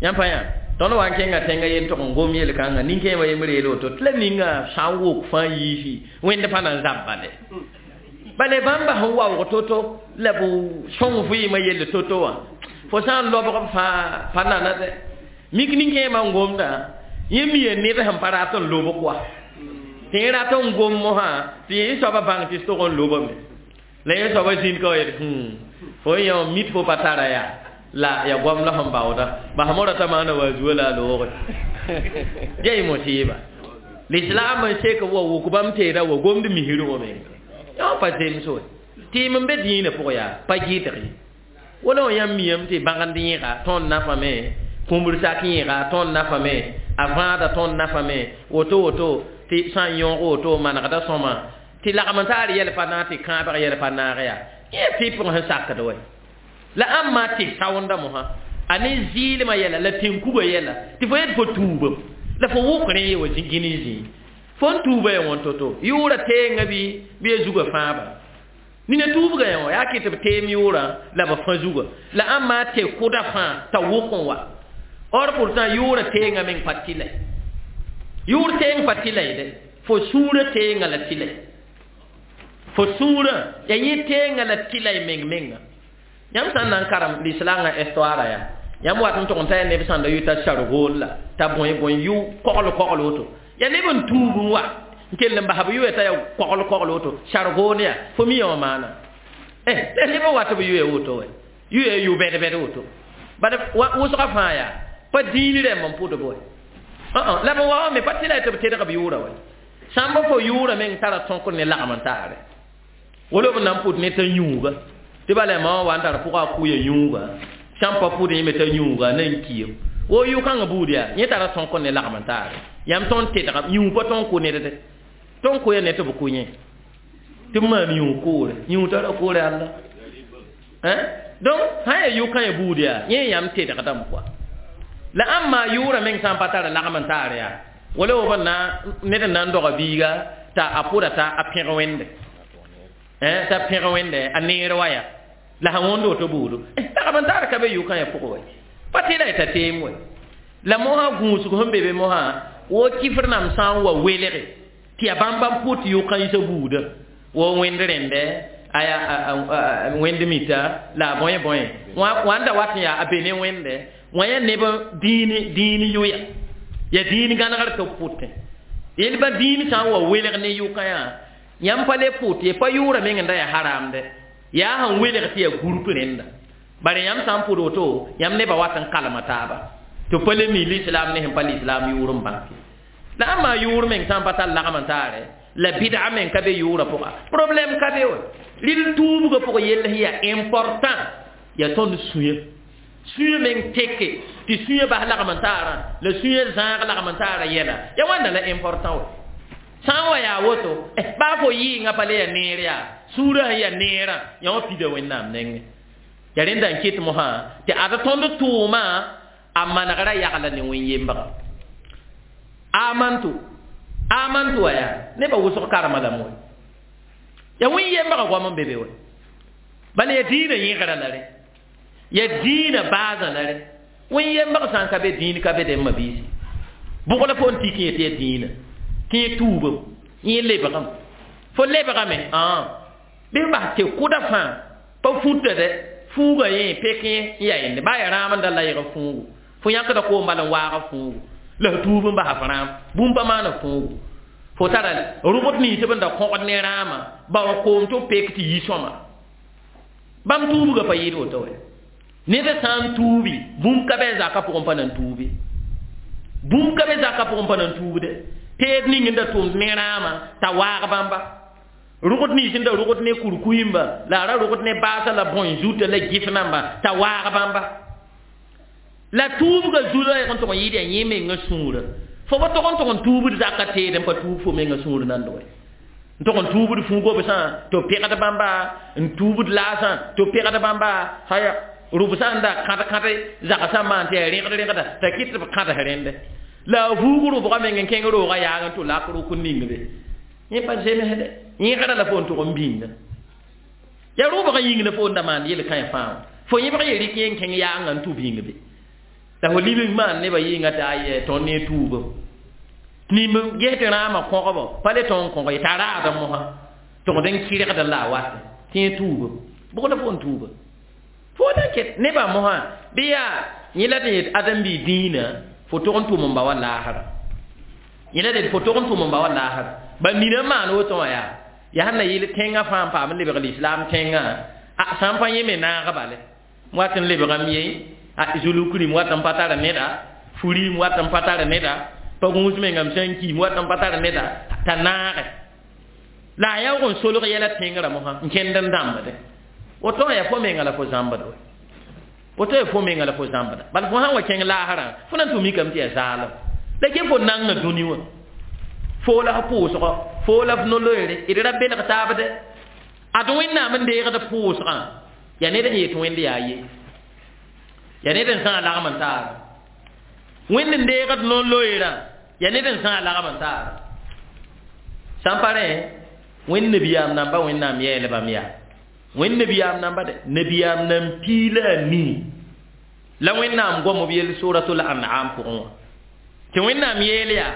yãmb pa yã tõnd wa n kẽnga tẽngã yel tʋg n gom yel-kãngã nin-kẽemã yembr yeel woto tɩ la ninga sã n wok fãa yiisi wẽnd pa na n zab bale bale bãmba sẽn waoog to-to la b sõng vɩɩmã yell to-to wã fo sã n lobg fãa pa nana dɛ mik nin-kẽemã n gomdã yẽ miya ned sẽn pa rat n lobg wa tɩ yẽ rat n gom mosã tɩ yẽ soabã bãng tɩ tog n lobame la yẽ soabã zĩnd ka wa yet fo n yã mit fo pa tara yaa la ya goam la sẽn baooda bas mora t'a maana wa zuo la a looge ya y mosiiba lislaam n sek wa wʋk bãmb teeda wa gomd misir wã menga yã pa zems we Tɩɩm n be dĩinã pʋgẽ yaa pa gɩdg ye. Wala wã yãmb miyame tɩ bãgend yẽga tõnd nafame, kũmbr sak yẽga tõnd nafame, a vãada tõnd nafame, woto woto tɩ sã n yõog woto manegda sõma tɩ lagm n taar yɛl pa naag tɩ kãabg yɛl pa naag yaa yẽ tɩ pʋgẽ sẽn sakd wɛ la ãmb maa tɩ saoonda mosã a ne zɩɩlmã yɛla la tẽn-kuga yɛla tɩ fo yet fo tuubem la fo wʋk rẽ ye wa gini zĩig fo n tuuba ya wãn to-to yʋʋra teenga bɩ bɩ ya zugã fãaba nina tuubga ya wã yaa kɩ tɩ b teem yʋʋrã la b fã zugã la ãmb maa tɩ kʋda fãa t'a wʋk n wa or pourtant yʋʋra teenga meng pa tɩla yʋʋr teeng pa tɩla ye dɛ fo sũurã teenga la tɩla fo sũurã ya yẽ teenga la tɩla y meng menga yãmb sã n na n karem lislaangã histoire yaa yãmb wat n tʋg n ta ya neb sãnda yʋ t'a sargool la t'a bõe bõe yʋ kogl kogl woto ya neb n tuub n wa n kell n bas b yʋya t'a ya kogl kogl woto sargoon yaa fo mi wã maana eh neb n wat b yʋya woto wɛ yʋya yʋ bɛd bɛd woto bad wʋsga fãa yaa pa dĩin rẽmb n pʋdb wɛ la b wa wã me pa tɩla tɩ b tedg b yʋʋra wɛ sãmba fo yʋʋra meng tara tõkr ne lagm n taare wala b na n pʋt ne t'a yũuga tɩ bala ma wã wa n tar pʋga a kʋya yũuga sãn pa pʋd yẽme t'a yũuga na n kiam wo yʋ-kãngã buud yaa yẽ tara tõkr ne lagm n taare yãmb tõnd tedga yũug pa tõnd kʋ ned de tõnd kʋya ne tɩ b kʋ yẽ tɩ b maan yũug koore yũug tara koore alla donc sã n yaa yʋ-kã ya buud yaa yẽ yãmb tedgdame pʋa la ãmb maa yʋʋra meng sã n pa tara lagm n taar yaa wala b na ned n na n doga biiga t'a a pʋda t'a a pẽg wẽnde t'a pẽg wẽnde a neer wa yaa la sã wõnd woto buudu lagm n taar ka be yʋ-kã ya pʋgẽ wɛ pa tɩ la y t'a teem wɛ la mosã gũusg sẽn be be mosã wo kifr nam sã n wa welge tɩ yaa bãmb bãmb pʋt yʋ-kã yĩsa buuda wo wẽnd rẽndɛ aya wẽnd mita la a bõe bõe wã n da wat n yaa a be ne wẽnde wã yaa neb dĩin dĩin yʋya ya dĩin gãnegr tɩ b pʋtẽ yel ba dĩin sã n wa welg ne yʋkã yaa yãmb pa le pʋt ye pa yʋʋra meng n da yaa haramde yaa sẽn welg tɩ yaa gũrp rẽnda bare yãmb sã n pʋd woto yãmb nebã wat n kalma taaba tɩ pa le mi lislam ne sẽn pa lislam yʋʋr n bãk la ãmb maa yʋʋr meng sã n pa tar lagm n taare la bid'a meng ka be yʋʋrã pʋga problème ka be wa rɩl tuubgã pʋgã yell sẽn yaa important yaa tõnd sũyã sũyã meng teke tɩ sũyã bas lagm n taarã la sũyã zãag lagm n taarã yɛla ya wãnda la important wa sã n wa yaa woto baa fo yɩɩngã pa le yaa neer yaa sũurã sẽn yaa neerã yã wã pida wẽnnaam nengẽ ya rẽnda n ket mosã tɩ ad tõnd tʋʋmã a manegrã yagla ne wẽn-yembga amantu amantu wa yaa nebã wʋsg karema lame wɛ ya wẽn-yembga goam n be be wɛ bala ya dĩinã yẽgra la rẽ ya dĩinã baasã la rẽ wẽn-yembg sã n ka be dĩin ka be dẽ mabiisi bʋg la fo n tik yẽ tɩ ya dĩinã tɩ yẽ tuubem yẽ lebgame fo lebgame bɩ bas tɩ kʋda fãa pa fũta dɛ fuuga yẽ pek yẽ n yaa yẽnde baa yaa rãam n da layg fuugu fo yãkda koom bala n waag fuugu la f tuub n basa f rãam bũmb pa maana fuugu fo tara rʋgd nins b n da kõgd ne rãamã ba wa koom tɩ b pek tɩ yi sõma bãmb tuubgã pa yɩɩd woto wɛ ned sã n tuubi bũmb ka bɩ a zakã pʋgẽ pa nan tuubi bũmb ka bɩ zakã pʋgẽ pa nan tuubde teed ning n da tʋmd ne rãamã t'a waag bãmba rʋgd nins n da rʋgd ne kurkuimba la a ra rʋgd ne baasã la bõe zuta la gɩf namba t'a waag bãmba la tuubgã zulã n tʋg n yɩɩd yaa yẽ mengã sũurã fo pa tʋg n tʋg n tuubd zakã teed n pa tuub fo mengã sũur nand wɛ n tʋg n tuubd fuugobsã tɩ b pegd bãmba n tuubd laasã tɩ b pegd bãmba haya rʋbsã n da kãd-kãd zagsã maan tɩ yaa rẽgd rẽgda t'a kɩt tɩ b kãds rẽnde la a vuug rʋbgã meng n kẽng roogã yaag n tʋ lak rʋk n ning be yẽ pa zemsde yẽgrã la fo n tʋg n bĩnga yaa rʋbgã yĩng la fo n da maan yel-kãe fãa fo yẽbg ye rɩk yẽ n kẽng yaangã n tʋ bĩng be la fo libg maan nebã yɩɩngã tɩ ayɛ tõnd ne tuubem nim ges tɩ rãamã kõgbo pa le tõnd kõg ye t'a raadã mosã tʋgd n kɩrgd la a wat tɩ yẽ tuubem bʋg la fo n tuuba fo na ket nebã mosã bɩ yaa yẽ la tɩ yet ãdem-biig dĩinã fo tʋg n tʋm n ba wa laasra yẽ la d fo tʋg n tʋm n ba wa laasra ba nina n maan woto wã yaa yaa sẽn na yɩl tẽngã fãa n paam n lebg lislaam tẽngã a sã n pa yẽ me naag bale wat n lebgame ye a zulukrim wat n pa tar neda furim wat n pa tar neda pa gũus mengame sã n kiim wat n pa tar neda t'a naage La a yaoog n solg yɛla tẽngrã mosã n kẽnd n dãmbde woto yaa fo menga la fo zãmbd we woto yaa fo menga la fo zãmbda bala fo sãn wa kẽng laasrã fo na n tʋ mikame tɩ yaa zaalem la ke fo nanga dũni wã fo la f pʋʋsgɔ fo la f no-loeere d ra belg taabde ad wẽnnaam n deegd pʋʋsgã yaa ned sẽn yet wẽnd yaa ye yaa ned n sã lagm n taara wẽnd n deegd no-loeerã yaa ned n sã lagm n taara sãn pa rẽ wẽnd nabiyaam namba wẽnnaam yɛɛlbame yaa wẽnd nabiyaam namba de nabiyaam nan piila a nii la wẽnnaam gom b yell suratul an'am pʋgẽ wã tɩ wẽnnaam yeel yaa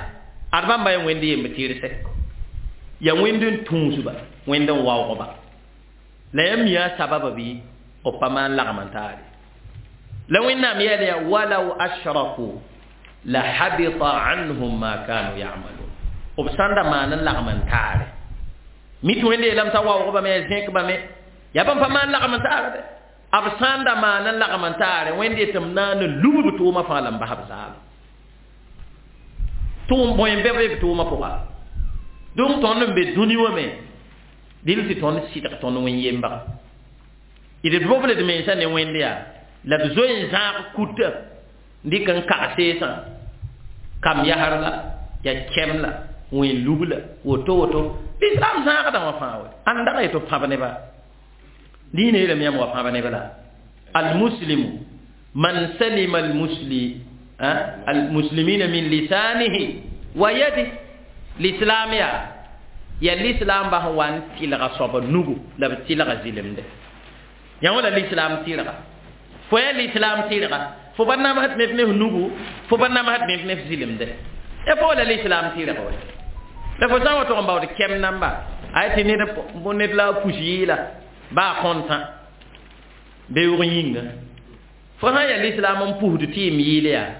ad bãmba yaa wẽnd yemb tɩrse yaa wẽnd n tũusba wẽnd n waoogba la yãmb mi yaa sababa bɩ b pa maan lagm n taare la wẽnnaam yeel yaa walaw ashraku la habita anhum ma kanu yamalun b sãn da maan n lagm n taare mi tɩ wẽnd yeelame t'a waoogba me ya zẽkba me yaa bãmb pa maan lagm n taare de b sãn da maan n lagm n taare wẽnd yetɩ m na n lub b tʋʋmã fãa la n bas b zaala tʋʋm bõe n bɛ b tʋʋmã pʋga donc tõnd n be dũni wã me dɩl tɩ tõnd sɩdg tõnd wẽn-yembaga d boble d mensã ne wẽnd yaa la d zoe n zãag kuta n dɩk n kag seesã kam yasr la yaa kɛm la wẽn lub la woto woto lislaam zãagdã wã fãa we ãn dag yetɩ b pãb neba diinã yeelame yãmb wa pãb neb la almuslimu man salima almusli almuslimina min lisanihi wa yadi l'islam yaa yaa l'islam ba sẽn wa n tɩlga soaba nugu la b tɩlga zɩlemde yã wã la l'islam tɩrga fo yaa l'islam tɩrga fo pa namsd ned ne f nugu fo pa namsd ned ne f zɩlemde ya fo la l'islam tɩrga we la fo sã n wa tʋg n baood kɛm namba a tɩ ned ned la a pus yɩɩla baa kõntã beoog yĩnga fo sã n yaa l'islam n pusd tɩɩm yɩɩl yaa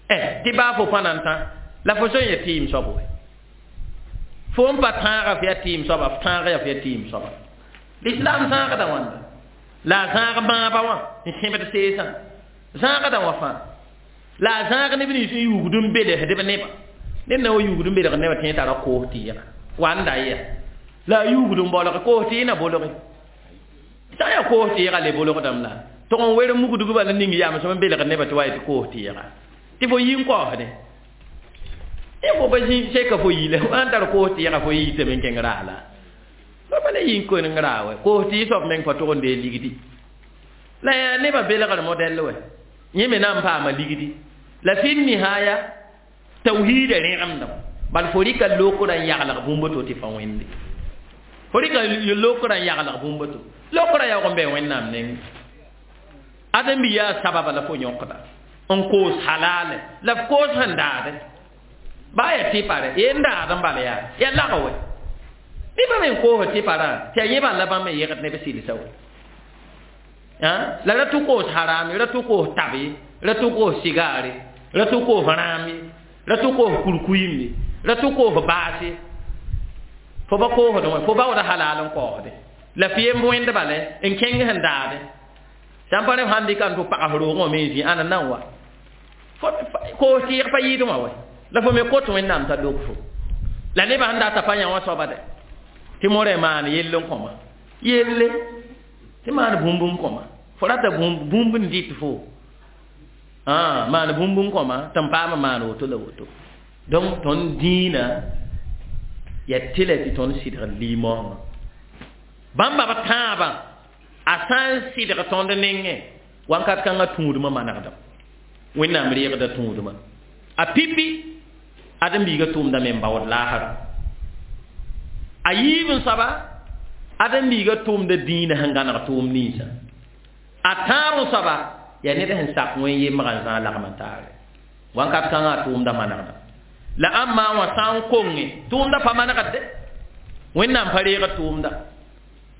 eh tɩ baa fo pa na n tã la fo sẽn ya tɩɩm soab we fo n pa tãaga f yaa tɩɩm soaba f tãag yaa f yaa tɩɩm soaba l'islam zãagda wãnda la a zãag bãaba wã n sẽbd seesã zãagda wã fãa la a zãag neb nins n yuugd n belesdb nebã ned na wa yuugd n belgd nebã tẽ tara koos tɩɩga wa n da ya la a yuugd n bolge koos tɩɩ na bolge sã n yaa koos tɩɩga le bolgdame la tʋg n wer mugdg bala ning yamsem n belgd nebã tɩ wa yetɩ koos tɩɩga tɩ fo yi n kaoosdẽ y fo pa zĩ seka fo yila wã n tar koos tɩɩga fo yiitame n kẽng raa la fo pa le yi n koneng raa wɛ koos tɩɩ soab meng pa tʋg n dee ligdi la yaa nebã belgr modɛl wɛ yẽ me na n paama ligdi la fi nihaya tawhiida rẽgemdame bal fo rɩka lokrã n yaglg bũmb to tɩ fa wẽnde fo rɩka lokrã n yaglg bũmb to lokrã yaoog n bɩ wẽnnaam neng ãdem-bi yaa sababa la fo yõkda n koos halale la f koos sẽn daade baa yaa tɩpare ye n daad n bala yaa yaa lag wɛ nebã me n koos tɩparã tɩ yaa yẽ bal la bãmb me yegd neb sɩlsa wɛ la ra tʋ koos haram ra tʋ koos tab ye ra tʋ koos sigaare ra tʋ koos rãam ye ra tʋ koos kurkuyim ye ra tʋ koos baas ye fo ba koosd wã fo baooda halal n kaoosde la f yemb wẽnd bala n kẽng sẽn daade sãn pa rẽ f sãn dɩka n tʋ pags roogẽ wã me n zĩ ãna nan wa koos tɩɩg pa yɩɩd wã wɛ la fo me kot wẽnnaam t'a lok fo la nebã sẽn data pa yã wã soaba de tɩ morẽ maan yell n kõma yelle tɩ maan bũmb n kõma fo rata bũmb n dɩt fo maan bũmb n kõma tɩ n paam maan woto la woto donc tõnd dĩinã yaa tɩla tɩ tõnd sɩdg limaoongã bãmba b tãabã a sã n sɩdg tõnd nengẽ wãnkat kãngã tũudmã manegdame wẽnnaam reegda tũudmã a pipi ãdem-biigã tʋʋmdame n baood laasra a yiib n soaba ãdem-biigã tʋʋmda dĩinã sẽn gãneg tʋʋm ninsã a tãab n soaba yaa ned sẽn sak wẽn-yembgã n zãag lagm n taare wãnkat kãngã a tʋʋmda manegda la ãmb wã sã n konge tʋʋmda pa manegd de wẽnnaam pa reegd tʋʋmda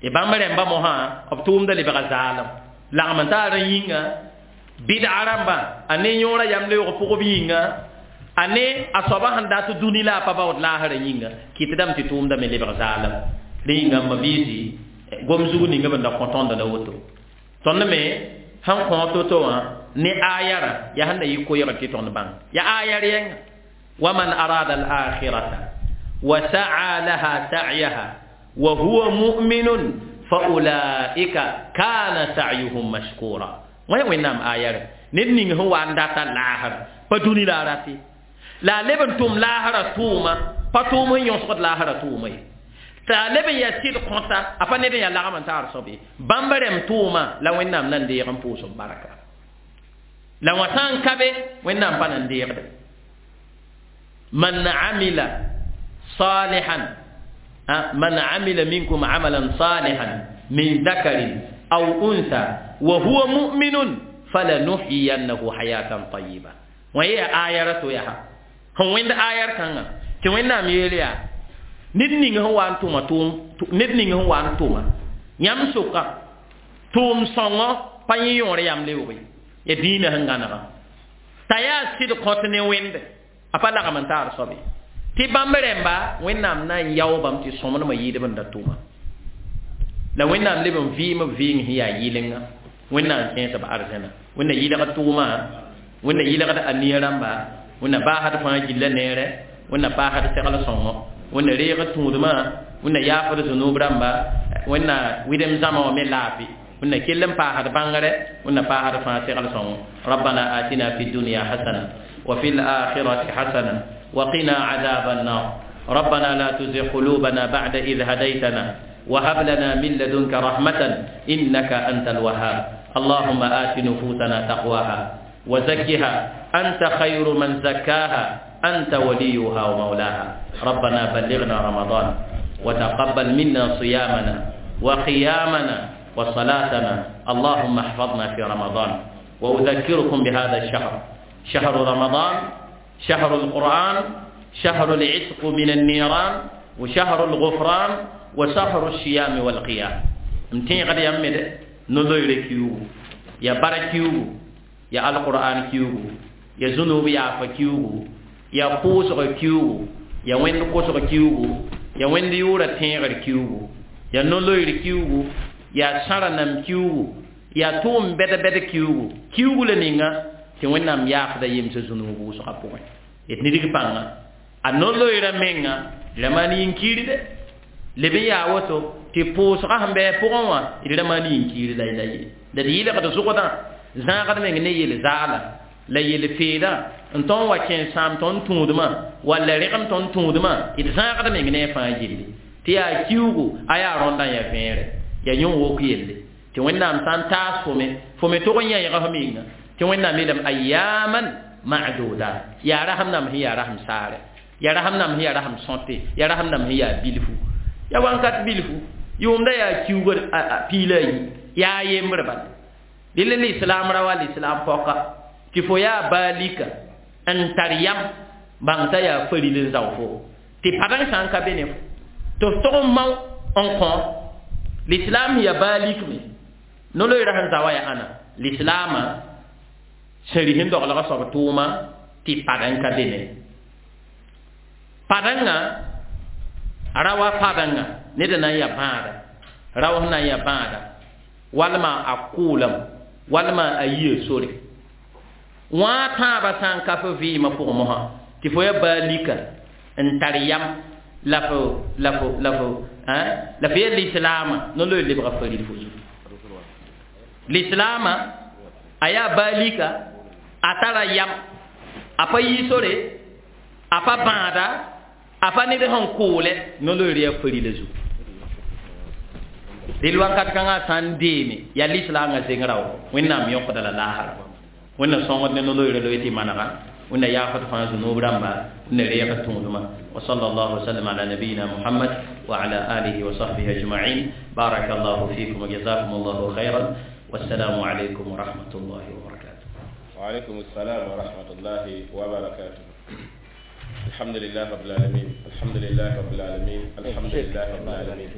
y bãmb rẽmba mosã b tʋʋmda lebga zaalem lagm n taar n yĩnga bɩdga rãmbã a ne yõorã yam leoog pʋgb yĩnga a ne a soaba sẽn dat dũni la a pa baood laasrã yĩnga kɩtdame tɩ tʋʋmda me lebg zaalem rẽ yĩnga m mabiisi gom zug ninga b da kõ tõnd la woto tõnd me sẽn kõ to-to wã ne ayarã yaa sẽn na yɩ koɛɛgr tɩ tõnd bãng yaa ayar yẽnga waman arada al-akhirata wa sa'a laha sa'yaha Wa huwa mu'minun fa ulaika kana sa'yuhum mashkura. Wẽ Wẽnnaam ayare ned ning sẽn wa n data laasra pa dũni la a rate la a leb n tʋm laasra tʋʋma pa tʋʋm sẽn yõsgd laasra tʋʋma ye t'a a leb n yaa sɩd kõta a pa ned n yaa lagm n taar soab ye bãmb rẽmb tʋʋma la Wẽnnaam na n deeg n pʋʋs b barka la wã sã n ka be Wẽnnaam pa na n deegde. Man amila salihan, man amila minkum amalan salihan min dhakarin aw untha wa huwa mu'minun falanuhyiyannahu hayatan tayyiba. Wã yaa ayara to yaa sẽn wẽnd ayar kãngã tɩ Wẽnnaam yeel yaa ned ning sẽn wa n tʋma tʋʋm ned ning sẽn wa n tʋma yãmb sʋka tʋʋm sõngɔ pa yẽ yõor yam leoog ye ya dĩinã sẽn gãnega t'a yaa sɩd kõt ne wẽnde a pa lagm n taar soab ye tɩ bãmb rẽmba Wẽnnaam na n yao bãmb tɩ sõmdmã yɩɩdb n da tʋma la Wẽnnaam leb n vɩɩm b vɩɩng sẽn yaa yɩlenga Wẽnnaam kẽes b arzẽna Wẽnna yɩlgd tʋʋma Wẽnna yɩlgd a nia rãmba Wẽnna baasd fãa gilla neere Wẽnna paasd segl sõngo Wẽnna reegd tũudmã Wẽnna yaafd zũnub rãmba Wẽnna wɩdem zãma wã me laafɩ Wẽnna kell n paasd bãngre Wẽnna paasd fãa segl sõngo. ربنا آتنا في الدنيا حسنة وفي الآخرة حسنة وقنا عذاب النار. ربنا لا تزغ قلوبنا بعد إذ هديتنا وهب لنا من لدنك رحمة إنك أنت الوهاب. اللهم آت نفوسنا تقواها وزكها أنت خير من زكاها أنت وليها ومولاها. ربنا بلغنا رمضان وتقبل منا صيامنا وقيامنا وصلاتنا. اللهم احفظنا في رمضان. وأذكركم بهذا الشهر، شهر رمضان، شهر القرآن، شهر العتق من النيران، وشهر الغفران، وشهر الصيام والقيام. امتين قد يمد نلوير كيو يا بركيو يا القرآن كيو يا ذنوب يا فكيو يا قوسر كيو يا وين قوسر كيو يا وين يورا تيغر كيو يا نلوير كيو يا سرنم كيو يا توم بد بد كيو كيو لنينغا tɩ Wẽnnaam yaafda yemsã zũnug wʋsgã pʋgẽ d nidg pãnga a no-loeera menga d ra maan yĩn-kiir de leb n yaa woto tɩ pʋʋsgã sẽn bɩ pʋgẽ wã d ra maan yĩn-kiir la la ye la d yɩlgd zʋgdã zãagd meng ne yel-zaala la yel-feedã n tõnd wa kẽ sãam tõnd tũudmã walla rẽgem tõnd tũudmã d zãagd meng ne a fãa gilli tɩ yaa kiugu a yaa rõndã yaa vẽere yaa yõ wok yelle tɩ Wẽnnaam sã n taas fo me fo me tʋg n yãeega f menga tɩ Wẽnnaam yeelame ayyaman ma'dudat yaa rasem nam sẽn yaa rasem saare yaa rasem nam sẽn yaa rasem sõte yaa rasem nam sẽn yaa bilfu yaa wãnkat bilfu yʋʋmda yaa kiuga piila a yi yaa yembr bala dɩl lislaam ra wa lislaam pɔka tɩ fo yaa baalika n tar yam bãng t'a yaa faril n zao fo tɩ padeng sã n ka be ne fo tɩ f tog n mao n kõ lislaam yaa baalik me no-loeera sẽn za wa yaa ãna lislaamã sẽn ris n doglga soab tʋʋma tɩ padeng ka be ne padenga ra wa padenga ned na n yaa bãada rao sẽn na n yaa bãada walma a kʋʋlem walma a yia sore wã tãabã sã n ka fo vɩɩmã pʋgẽ mosã tɩ fo yaa baalika n tar yam la fo la fo la fo la fo yaa lislaamã no-loeer lebga faril fo zugu lislaamã a yaa baalika a tara yam a pa yi sore a pa bãada a pa ned sẽn kʋʋlɛ no-loeer yaa farila zugu dɩl wakat kãngã sã n deeme yaa lislaangã zeng rao Wẽnnaam yõkda la laasra Wẽnna sõngd ne no-loeera loe tɩ manega Wẽnna yaafd fãa zũnub rãmba Wẽnna reegd tũudmã. وصلى الله وسلم على نبينا محمد وعلى آله وصحبه أجمعين. بارك الله فيكم وجزاكم الله خيرا والسلام عليكم ورحمة الله وبركاته. وعليكم السلام ورحمة الله وبركاته. الحمد لله رب العالمين، الحمد لله رب العالمين، الحمد لله رب العالمين.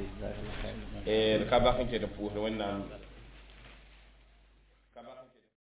Eh ka ba kan ke da puhur wannan.